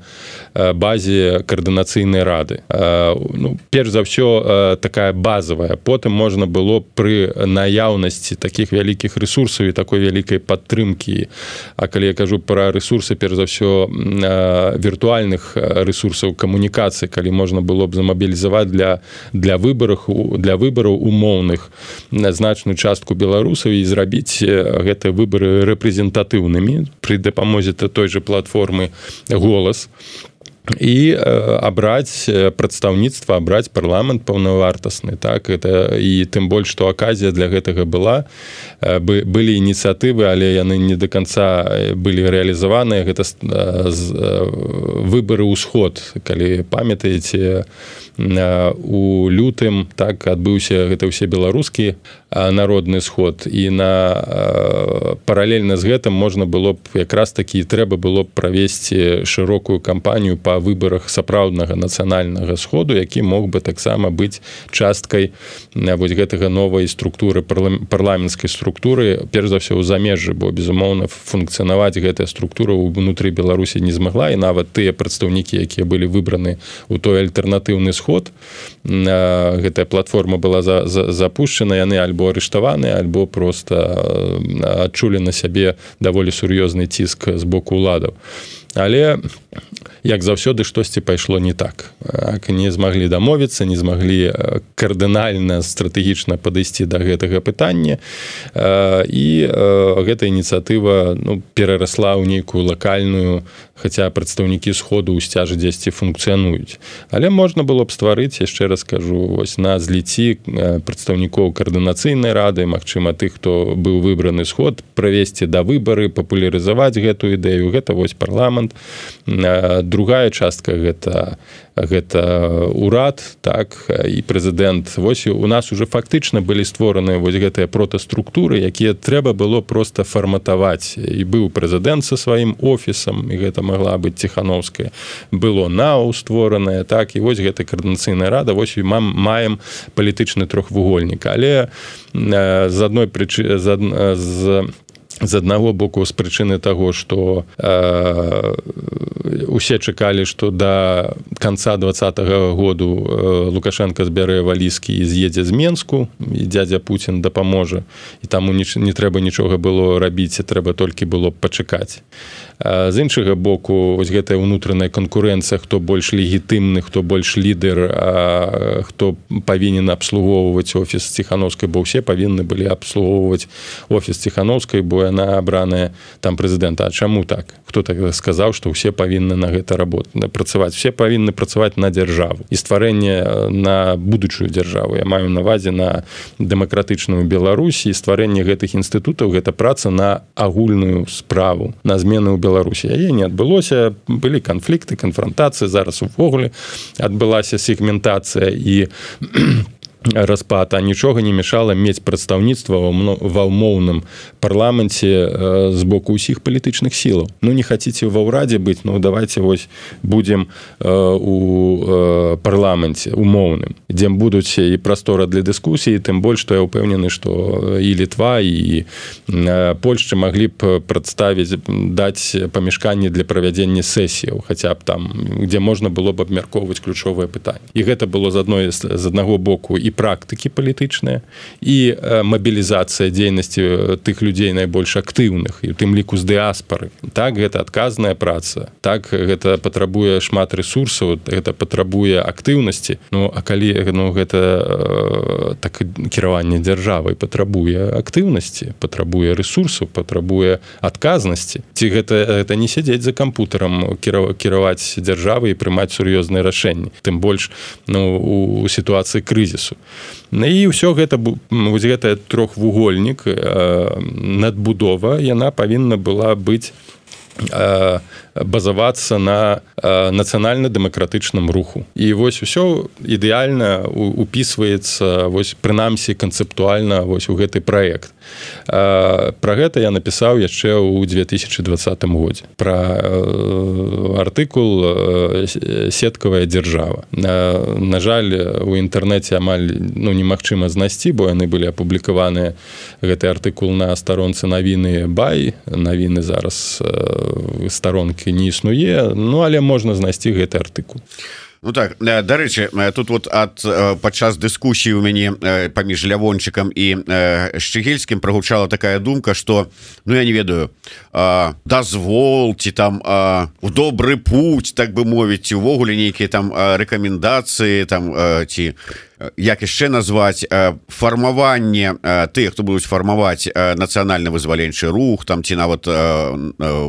базе каардынацыйнай рады. Ну, перш за ўсё, такая базовая. Потым можна было пры наяўнасці такіх вялікіх рэсурсаў і такой вялікай падтрымкі. А калі я кажу пра рэсурсы, перш за ўсё, віртуальных рэсурсаў камунікацыі, калі можна было б замабілізаваць для выбараў умоўных значную частку беларусаў і зрабіць гэтыя выбары рэпрэзентатыўнымі пры дапамозе той жа платформы «Голас», і абраць прадстаўніцтва, абраць парламент паўнавартасны, так, это, і тым больш, што аказія для гэтага была, былі ініцыятывы, але яны не да канца былі рэалізаваныя, гэта выбары ўсход, калі памятаеце, у лютым, так, адбыўся гэта ўсе беларускі народны сход, і паралельна з гэтым можна было б якраз такі трэба было б правесці шырокую кампанію па выбарах сапраўднага нацыянальнага сходу, які мог бы таксама быць часткай вось гэтага новай структуры, парламенцкай структуры, перш за ўсё ў замежжы, бо, безумоўна, функцыянаваць гэтая структура ўнутры Беларусі не змагла, і нават тыя прадстаўнікі, якія былі выбраны ў той альтэрнатыўны сход, гэтая платформа была запушчана, яны альбо арыштаваныя, альбо проста адчулі на сябе даволі сур'ёзны ціск з боку ўладаў. Але як заўсёды штосьці пайшло не так. Не змаглі дамовіцца, не змаглі кардынальна стратэгічна падысці да гэтага пытання, і гэта ініцыятыва перарасла ў нейкую лакальную, хаця прадстаўнікі сходу ў сцяжы дзесьці функцыянуюць. Але можна было б стварыць, яшчэ раз кажу, вось на зліці прадстаўнікоў каардынацыйнай рады, магчыма, тых, хто быў выбраны сход, правесці да выбары, папулярызаваць гэтую ідэю. Гэта вось парламент. Другая частка гэта урад, так, і прэзідэнт. Вось у нас уже фактычна былі створаны вось гэтыя протаструктуры, якія трэба было проста фарматаваць. І быў прэзідэнт са сваім офісам, і гэта магла быць Ціхановская. Было НАУ створанае, так, і вось гэта каардынацыйная рада, вось і маем палітычны трохвугольнік. Але з адной прычыны, з аднаго боку, з прычыны таго, што усе чакалі, што да канца 2020 году Лукашенко збярэ валізкі і з'едзе з Менску, і дзядзя Пуцін дапаможа, і таму не трэба нічога было рабіць, трэба толькі было пачакаць. З іншага боку, вось гэтая ўнутраная канкурэнцыя, хто больш легітымны, хто больш лідар, хто павінен абслугоўваць офіс Ціхановскай, бо ўсе павінны былі абслугоўваць офіс Ціхановскай, бо яна абраная там прэзідэнта. А чаму так? Хто так сказаў, што ўсе павінны на гэта працаваць? Все павінны працаваць на дзяржаву. І стварэнне на будучую дзяржаву. Я маю на ўвазе на дэмакратычную Беларусі, і стварэнне гэтых інстытутаў, гэта праца на агульную справу, на змены ў Беларусі. Яе не адбылося, былі канфлікты, канфрантацыі, зараз увогуле адбылася сегментацыя і распад, а нічога не мешала мець прадстаўніцтва ва ўмоўным парламенце з боку ўсіх палітычных сілаў. Не хаціце ва ўрадзе быць, давайте вось будзем у парламенце умоўным, дзе будуць і прастора для дыскусіі, тым больш, што я ўпэўнены, што і Літва, і Польшча маглі б прадставіць, даць памяшканні для правядзення сесіяў, хаця б там, дзе можна было б абмяркоўваць ключовыя пытанні. І гэта было з аднаго боку і практыкі палітычныя, і мабілізацыя дзейнасці тых людзей найбольш актыўных, і у тым ліку з дыаспары. Так, гэта адказная праца, так, гэта патрабуе шмат рэсурсаў, гэта патрабуе актыўнасці, а калі гэта так кіраванне дзяржавай патрабуе актыўнасці, патрабуе рэсурсаў, патрабуе адказнасці. Ці гэта не сядзець за кампутарам, кіраваць дзяржавай і прымаць сур'ёзныя рашэнні, тым больш у сітуацыі крызісу. І ўсё гэта, вось гэта трохвугольнік, надбудова, яна павінна была быць базавацца на нацыянальна-дэмакратычным руху. І вось усё ідэальна упісваецца, вось прынамсі канцэптуальна вось у гэты праект. Пра гэта я напісаў яшчэ ў 2020 годзе. Пра артыкул «Сеткавая дзяржава». На жаль, у інтэрнэце амаль немагчыма знайсці, бо яны былі апублікаваныя, гэты артыкул на старонцы навіны Бай. Навіны зараз старонкі не існуе, але можна знайсці гэты артыкул. Так, дарэчы, тут вот падчас дыскусіі у мяне паміж Лявончыкам і Шчыгельскім прагучала такая думка, што, я не ведаю, дазвол, ці там у добры путь, так бы мовіць, увогуле нейкія там рэкамендацыі, там, ці як яшчэ назваць, фармаванне тых, хто будуць фармаваць нацыянальна-вызваленчы рух, там, ці нават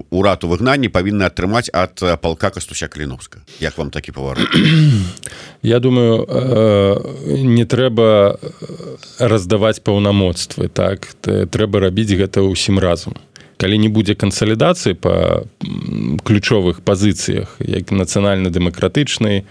урад у выгнанні павінны атрымаць ад палка Кастуся Каліновскага. Як вам такі паварот? Я думаю, не трэба раздаваць паўнамоцтвы, так? Трэба рабіць гэта ўсім разам. Калі не будзе кансалідацыі па ключовых пазіцыях, як нацыянальна-дэмакратычны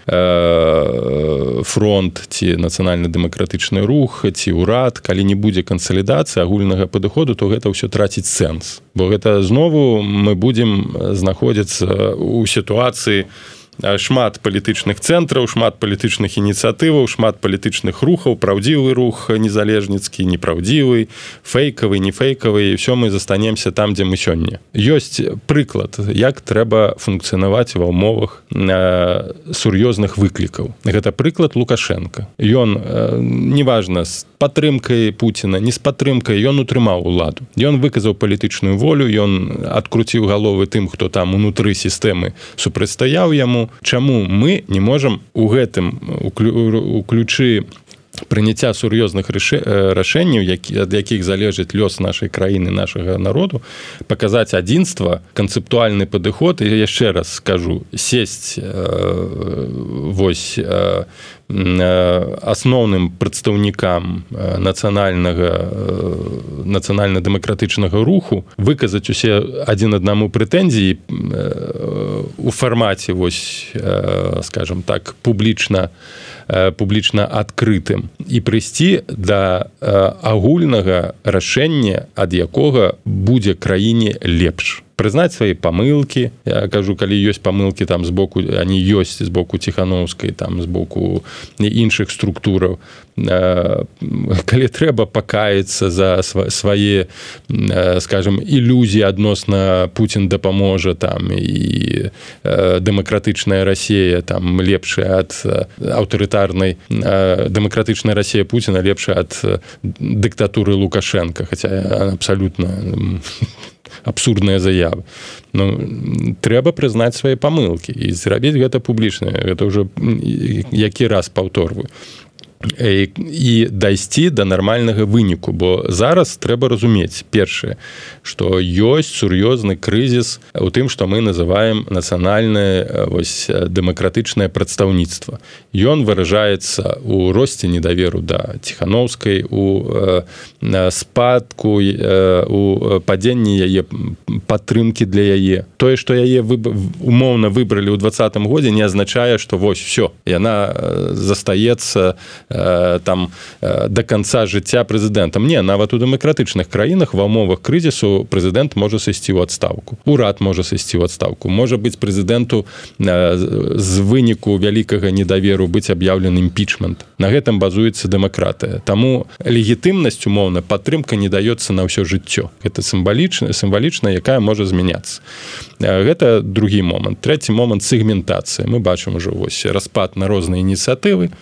фронт, ці нацыянальна-дэмакратычны рух, ці ўрад, калі не будзе кансалідацыі агульнага падыходу, то гэта ўсё траціць сэнс. Бо гэта знову мы будзем знаходзіцца ў сітуацыі шмат палітычных цэнтраў, шмат палітычных ініцыятываў, шмат палітычных рухаў, праўдзівы рух незалежніцкі, непраўдзівы, фейкавы, не фейкавы, і ўсё мы застанемся там, дзе мы сёння. Ёсць прыклад, як трэба функцыянаваць ва ўмовах сур'ёзных выклікаў. Гэта прыклад Лукашенко. Ён, неважна, з падтрымкай Пуціна, не з падтрымкай, ён утрымаў уладу. Ён выказаў палітычную волю, ён адкруціў галовы тым, хто там унутры сістэмы супрацьстаяў яму. Чаму мы не можам у гэтым у ключы прыняцця сур'ёзных рашэнняў, ад якіх залежыць лёс нашай краіны, нашага народу, паказаць адзінства, канцэптуальны падыход, і яшчэ раз скажу, сесть вось асноўным прадстаўнікам нацыянальна-дэмакратычнага руху, выказаць усе адзін аднаму прэтэнзіі у фармаце, вось, скажем так, публічна адкрытым і прыйсці да агульнага рашэння, ад якога будзе краіне лепш. Прызнаць свае памылкі. Я кажу, калі ёсць памылкі там з боку, они ёсць з боку Ціхановскай, там з боку іншых структураў. Калі трэба пакаяцца за свае, скажем, ілюзіі адносна Пуцін дапаможа там і дэмакратычная Расія там лепшая ад аўтарытарнай, дэмакратычная Расія Пуціна лепшая ад дыктатуры Лукашенко, хаця абсалютна абсурдныя заявы. Ну, трэба прызнаць свае памылкі і зрабіць гэта публічна. Гэта ўжо які раз паўторваю. І дайсці да нармальнага выніку, бо зараз трэба разумець, першае, што ёсць сур'ёзны крызіс у тым, што мы называем нацыянальнае дэмакратычнае прадстаўніцтва. Ён выражаецца ў росце недаверу да Ціхановскай, у спадку, у падзенні яе падтрымкі для яе. Тое, што яе умоўна выбралі ў 2020 годзе, не азначае, што вось, всё, яна застаецца там до конца жыцця прэзідэнтам. Не, нават у дэмакратычных краінах ва ўмовах крызісу прэзідэнт можа сысці ў адстаўку. Урад можа сысці ў адстаўку. Можа быць прэзідэнту з выніку вялікага недаверу быць аб'яўлены імпічмент. На гэтым базуецца дэмакратыя. Таму легітымнасць, умоўна, падтрымка не даецца на ўсё жыццё. Гэта сімвалічна, якая можа змяняцца. Гэта другі момант. Трэці момант — сегментацыя. Мы бачым ужо вось распад на розныя ініцыятывы,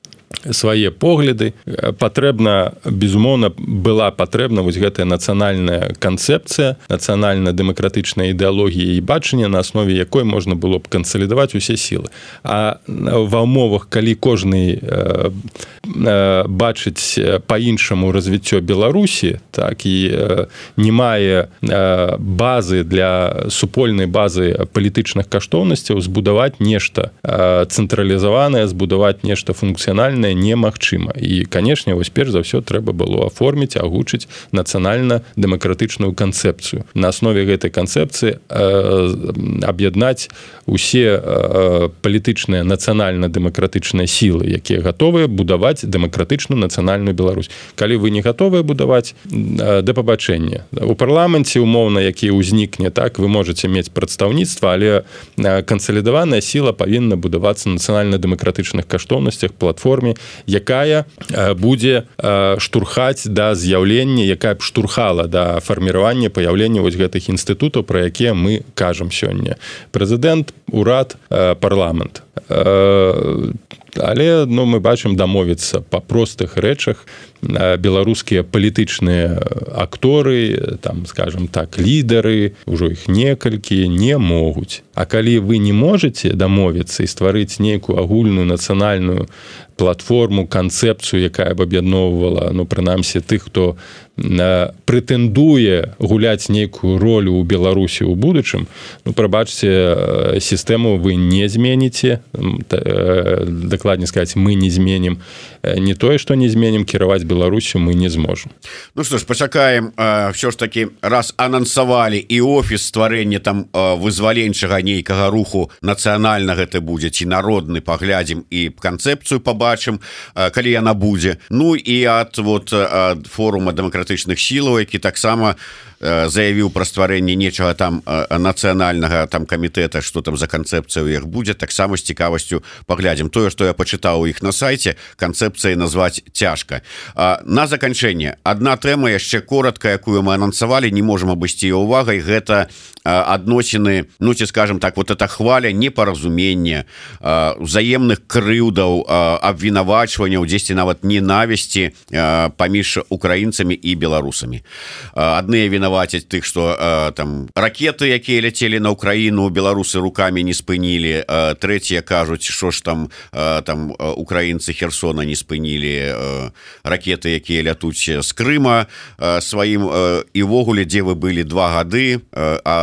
свае погляды. Патрэбна, безумоўна, была патрэбна вось гэтая нацыянальная канцэпцыя, нацыянальна-дэмакратычная ідэалогія і бачанне, на аснове якой можна было б кансалідаваць усе сілы. А ва ўмовах, калі кожны бачыць па-іншаму развіццё Беларусі, так і не мае базы для супольнай базы палітычных каштоўнасцяў, збудаваць нешта цэнтралізаванае, збудаваць нешта функцыянальнае немагчыма. І, канешне, вось перш за ўсё трэба было аформіць, агучыць нацыянальна-дэмакратычную канцэпцыю. На аснове гэтай канцэпцыі аб'яднаць усе палітычныя нацыянальна-дэмакратычныя сілы, якія гатовыя будаваць дэмакратычную нацыянальную Беларусь. Калі вы не гатовыя будаваць, да пабачэння. У парламенце, умоўна, які ўзнікне, так, вы можаце мець прадстаўніцтва, але кансалідаваная сіла павінна будавацца на нацыянальна-дэмакратычных каштоўнасцях, платформе, якая будзе штурхаць да з'яўлення, якая б штурхала да фарміравання, паяўлення вось гэтых інстытутаў, пра якія мы кажам сёння. Прэзідэнт, урад, парламент. Але, ну, мы бачым, дамовіцца па простых рэчах беларускія палітычныя акторы, там, скажем так, лідары, ужо іх некалькі, не могуць. А калі вы не можаце дамовіцца і стварыць нейкую агульную нацыянальную платформу, канцэпцыю, якая б аб'ядноўвала, ну, прынамсі, тых, хто прэтэндуе гуляць нейкую ролю ў Беларусі ў будучым, ну, прабачце, сістэму вы не зменіце, дакладней сказаць, мы не зменім. Не тое, што не зменім, кіраваць Беларусю мы не зможам. Ну што ж, пачакаем, ўсё ж такі, раз анансавалі і офіс стварэння там вызваленчага нейкага руху нацыянальнага гэта будзе ці народны, паглядзім і канцэпцыю пабачым, калі яна будзе. Ну і ад форума дэмакратычных сілаў, які таксама заявіў пра стварэнне нечага там нацыянальнага там камітэта, што там за канцэпцыя ў іх будзе, таксама з цікавасцю паглядзім. Тое, што я пачытаў у іх на сайце, канцэпцыяй назваць цяжка. На заканчэнне адна тэма яшчэ коротка, якую мы анансавалі, не можам абысці яе увагай, гэта адносіны, ну ці скажем так, вот эта хваля непаразумення, узаемных крыўдаў, абвінавачванняў, дзесьці нават ненавісці паміж украінцамі і беларусамі. Адныя вінавацяць тых, што там ракеты, якія ляцелі на Украіну, беларусы рукамі не спынілі, трэція кажуць, што ж там украінцы Херсона не спынілі ракеты, якія лятуць з Крыма сваім, і ввогуле, дзе вы былі 2 гады,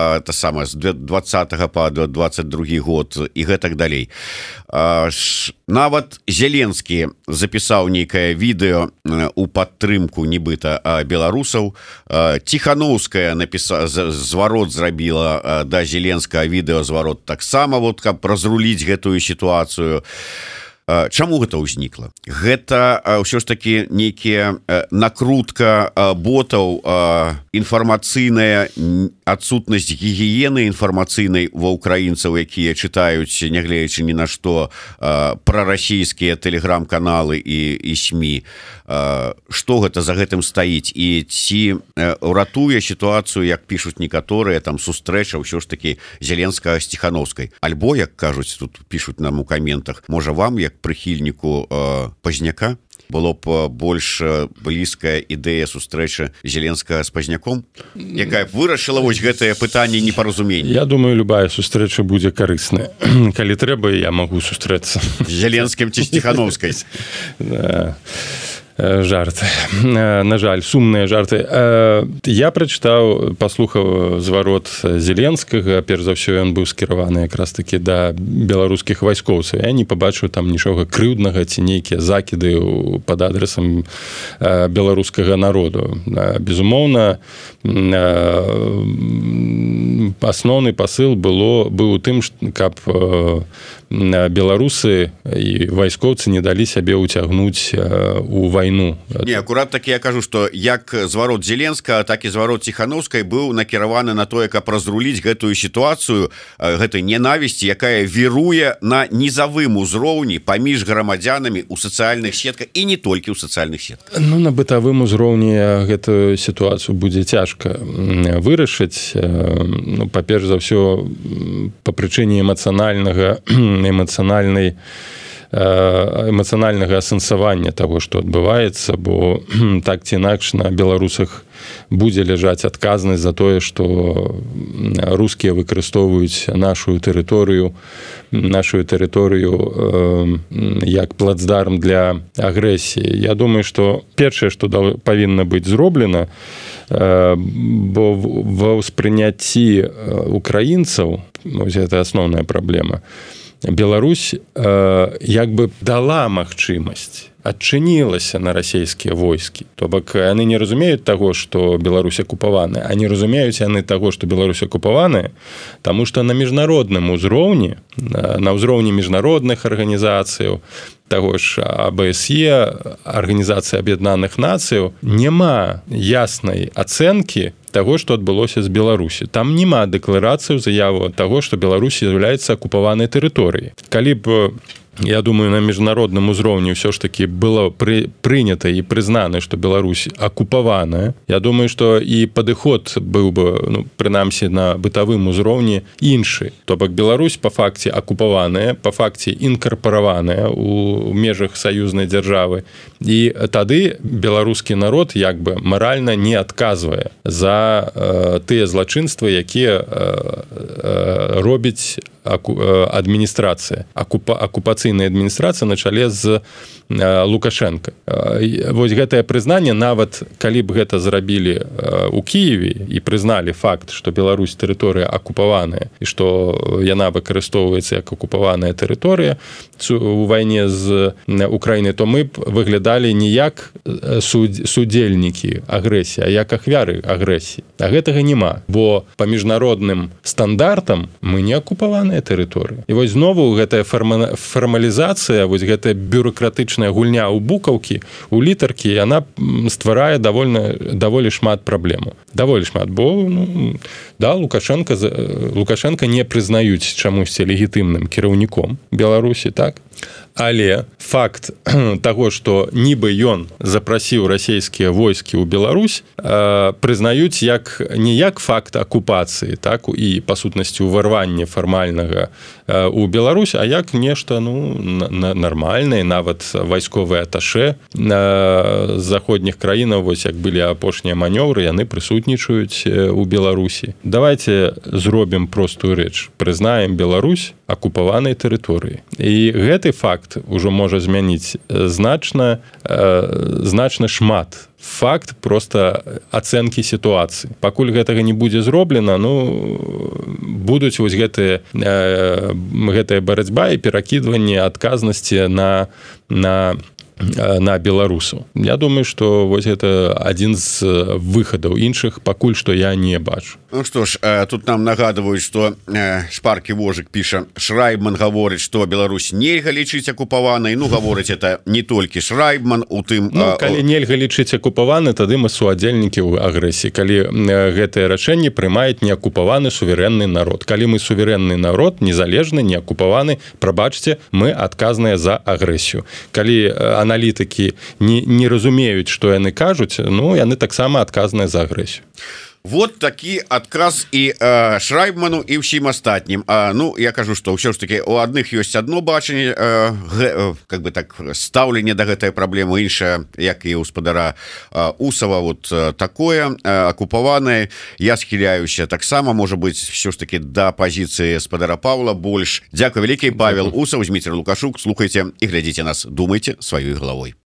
та сама з 20 па 22 год і гэтак далей. Нават Зеленскі запісаў нейкае відэо у падтрымку нібыта беларусаў. Ціхановская зварот зрабіла да Зеленскага відэо зварот таксама, каб разруліць гэтую сітуацыю. Чаму гэта ўзнікла? Гэта ўсё ж такі нейкія накрутка ботаў, інфармацыйная адсутнасць гігіены інфармацыйнай ва ўкраінцаў, якія чытаюць, нягледзячы ні на што, прарасійскія тэлеграм-каналы і СМІ. Што гэта за гэтым стаіць? І ці ратуе сітуацыю, як пішуць некаторыя, там сустрэча ўсё ж такі Зеленскага з Ціхановскай? Альбо, як кажуць, тут пішуць нам у каментах, можа вам, як прыхільніку Пазняка, было б больш блізкая ідэя сустрэчы Зеленскага з Пазняком, якая вырашыла вось гэтае пытанне непаразумення? Я думаю, любая сустрэча будзе карысная. Калі трэба, я магу сустрэцца з Зеленскім ці з Ціхановскай. Жарты. На жаль, сумныя жарты. Я прачытаў, паслухаў зварот Зеленскага. Перш за ўсё, ён быў скіраваны якраз такі да беларускіх вайскоўцаў. Я не пабачыў там нічога крыўднага ці нейкія закіды пад адресам беларускага народу. Безумоўна, асноўны пасыл быў у тым, каб беларусы і вайскоўцы не далі сябе ўцягнуць у вайну. Не, акурат такі я кажу, што як зварот Зеленскага, так і зварот Ціхановскай быў накіраваны на тое, каб разруліць гэтую сітуацыю, гэтай ненавісці, якая віруе на нізавым узроўні паміж грамадзянамі ў сацыяльных сетках і не толькі ў сацыяльных сетках. Ну, на бытавым узроўні гэтую сітуацыю будзе цяжка вырашыць. Ну, па-перш за ўсё, па прычыне эмацыянальнага асэнсавання таго, што адбываецца, бо так ці інакш на беларусах будзе ляжаць адказнасць за тое, што рускія выкарыстоўваюць нашу тэрыторыю як плацдарм для агрэсіі. Я думаю, што першае, што павінна быць зроблена, бо ва ўспрыняцці украінцаў, гэта асноўная праблема, Беларусь як бы дала магчымасць, адчынілася на расійскія войскі. То бок яны не разумеюць таго, што Беларусь акупаваная, а не разумеюць яны таго, што Беларусь акупаваная, таму што на міжнародным узроўні, на ўзроўні міжнародных арганізацыяў, таго ж АБСЕ, Арганізацыі Аб'яднаных Нацыяў, няма яснай ацэнкі таго, што адбылося з Беларусі. Там няма дэкларацыі, заяву таго, што Беларусь з'яўляецца акупаванай тэрыторыяй. Калі б, я думаю, на міжнародным узроўні ўсё ж такі было прынята і прызнана, што Беларусь акупаваная, я думаю, што і падыход быў бы, ну, прынамсі на бытавым узроўні іншы. То бок Беларусь па факце акупаваная, па факце інкарпараваная ў межах саюзнай дзяржавы. І тады беларускі народ як бы маральна не адказвае за тыя злачынствы, якія робіць адміністрацыя, акупацыйная адміністрацыя на чале з Лукашенко. Вось гэтае прызнанне, нават калі б гэта зрабілі у Киеве і прызналі факт, што Беларусь тэрыторыя акупаваная і што яна выкарыстоўваецца як акупаваная тэрыторыя у вайне з Украінай, то мы б выглядалі не як судзельнікі агрэсіі, а як ахвяры агрэсіі. А гэтага няма, бо па міжнародным стандартам мы не акупаваная тэрыторыя. І вось знову гэтая фармалізацыя, вось гэтая бюрократычная гульня ў букаўкі, у літаркі, яна стварае даволі шмат праблемаў. Даволі шмат, бо да, Лукашенко не прызнаюць чамусьці легітымным кіраўніком Беларусі, так? Але факт таго, што нібы ён запрасіў расійскія войскі ў Беларусь, прызнаюць не як факт акупацыі, так, і па сутнасці ўварвання фармальнага ў Беларусь, а як нешта нармальнае, нават вайсковыя аташэ заходніх краінаў, вось як былі апошнія манёвры, яны прысутнічаюць у Беларусі. Давайте зробім простую рэч, прызнаем Беларусь акупаванай тэрыторыі. І гэты факт ужо можа змяніць значна шмат. Факт просто ацэнкі сітуацыі. Пакуль гэтага не будзе зроблена, будуць вось гэтая барацьба і перакідванне адказнасці на беларусаў. Я думаю, што вось гэта адзін з выхадаў, іншых пакуль што я не бачу. Ну што ж, тут нам нагадваюць, што шпаркі вожык піша, Шрайбман гаворыць, што Беларусь нельга лічыць акупаванай. Гаворыць это не толькі Шрайбман, у тым... калі нельга лічыць акупаваны, тады мы суадзельнікі ў агрэсіі. Калі гэтае рашэнне прымаюць неакупаваны суверэнны народ. Калі мы суверэнны народ, незалежны, неакупаваны, прабачце, мы адказныя за агрэсію. Калі аналітыкі не разумеюць, што яны кажуць, яны таксама адказныя за агрэсію. Вот такі адказ і Шрайбману і ўсім астатнім. Я кажу, што ўсё ж таки у адных ёсць адно бачанне, как бы так, стаўленне да гэтай праблемы, іншае, як і ў спадара Усава, вот такое акупаванае. Я схіляюся таксама, можа быць, ўсё ж таки да пазіцыі спадара Павла больш. Дзякуй вялікі. Павел Усаў, Зміцер Лукашук. Слухайце і глядзіце нас, думайце сваёй галавой.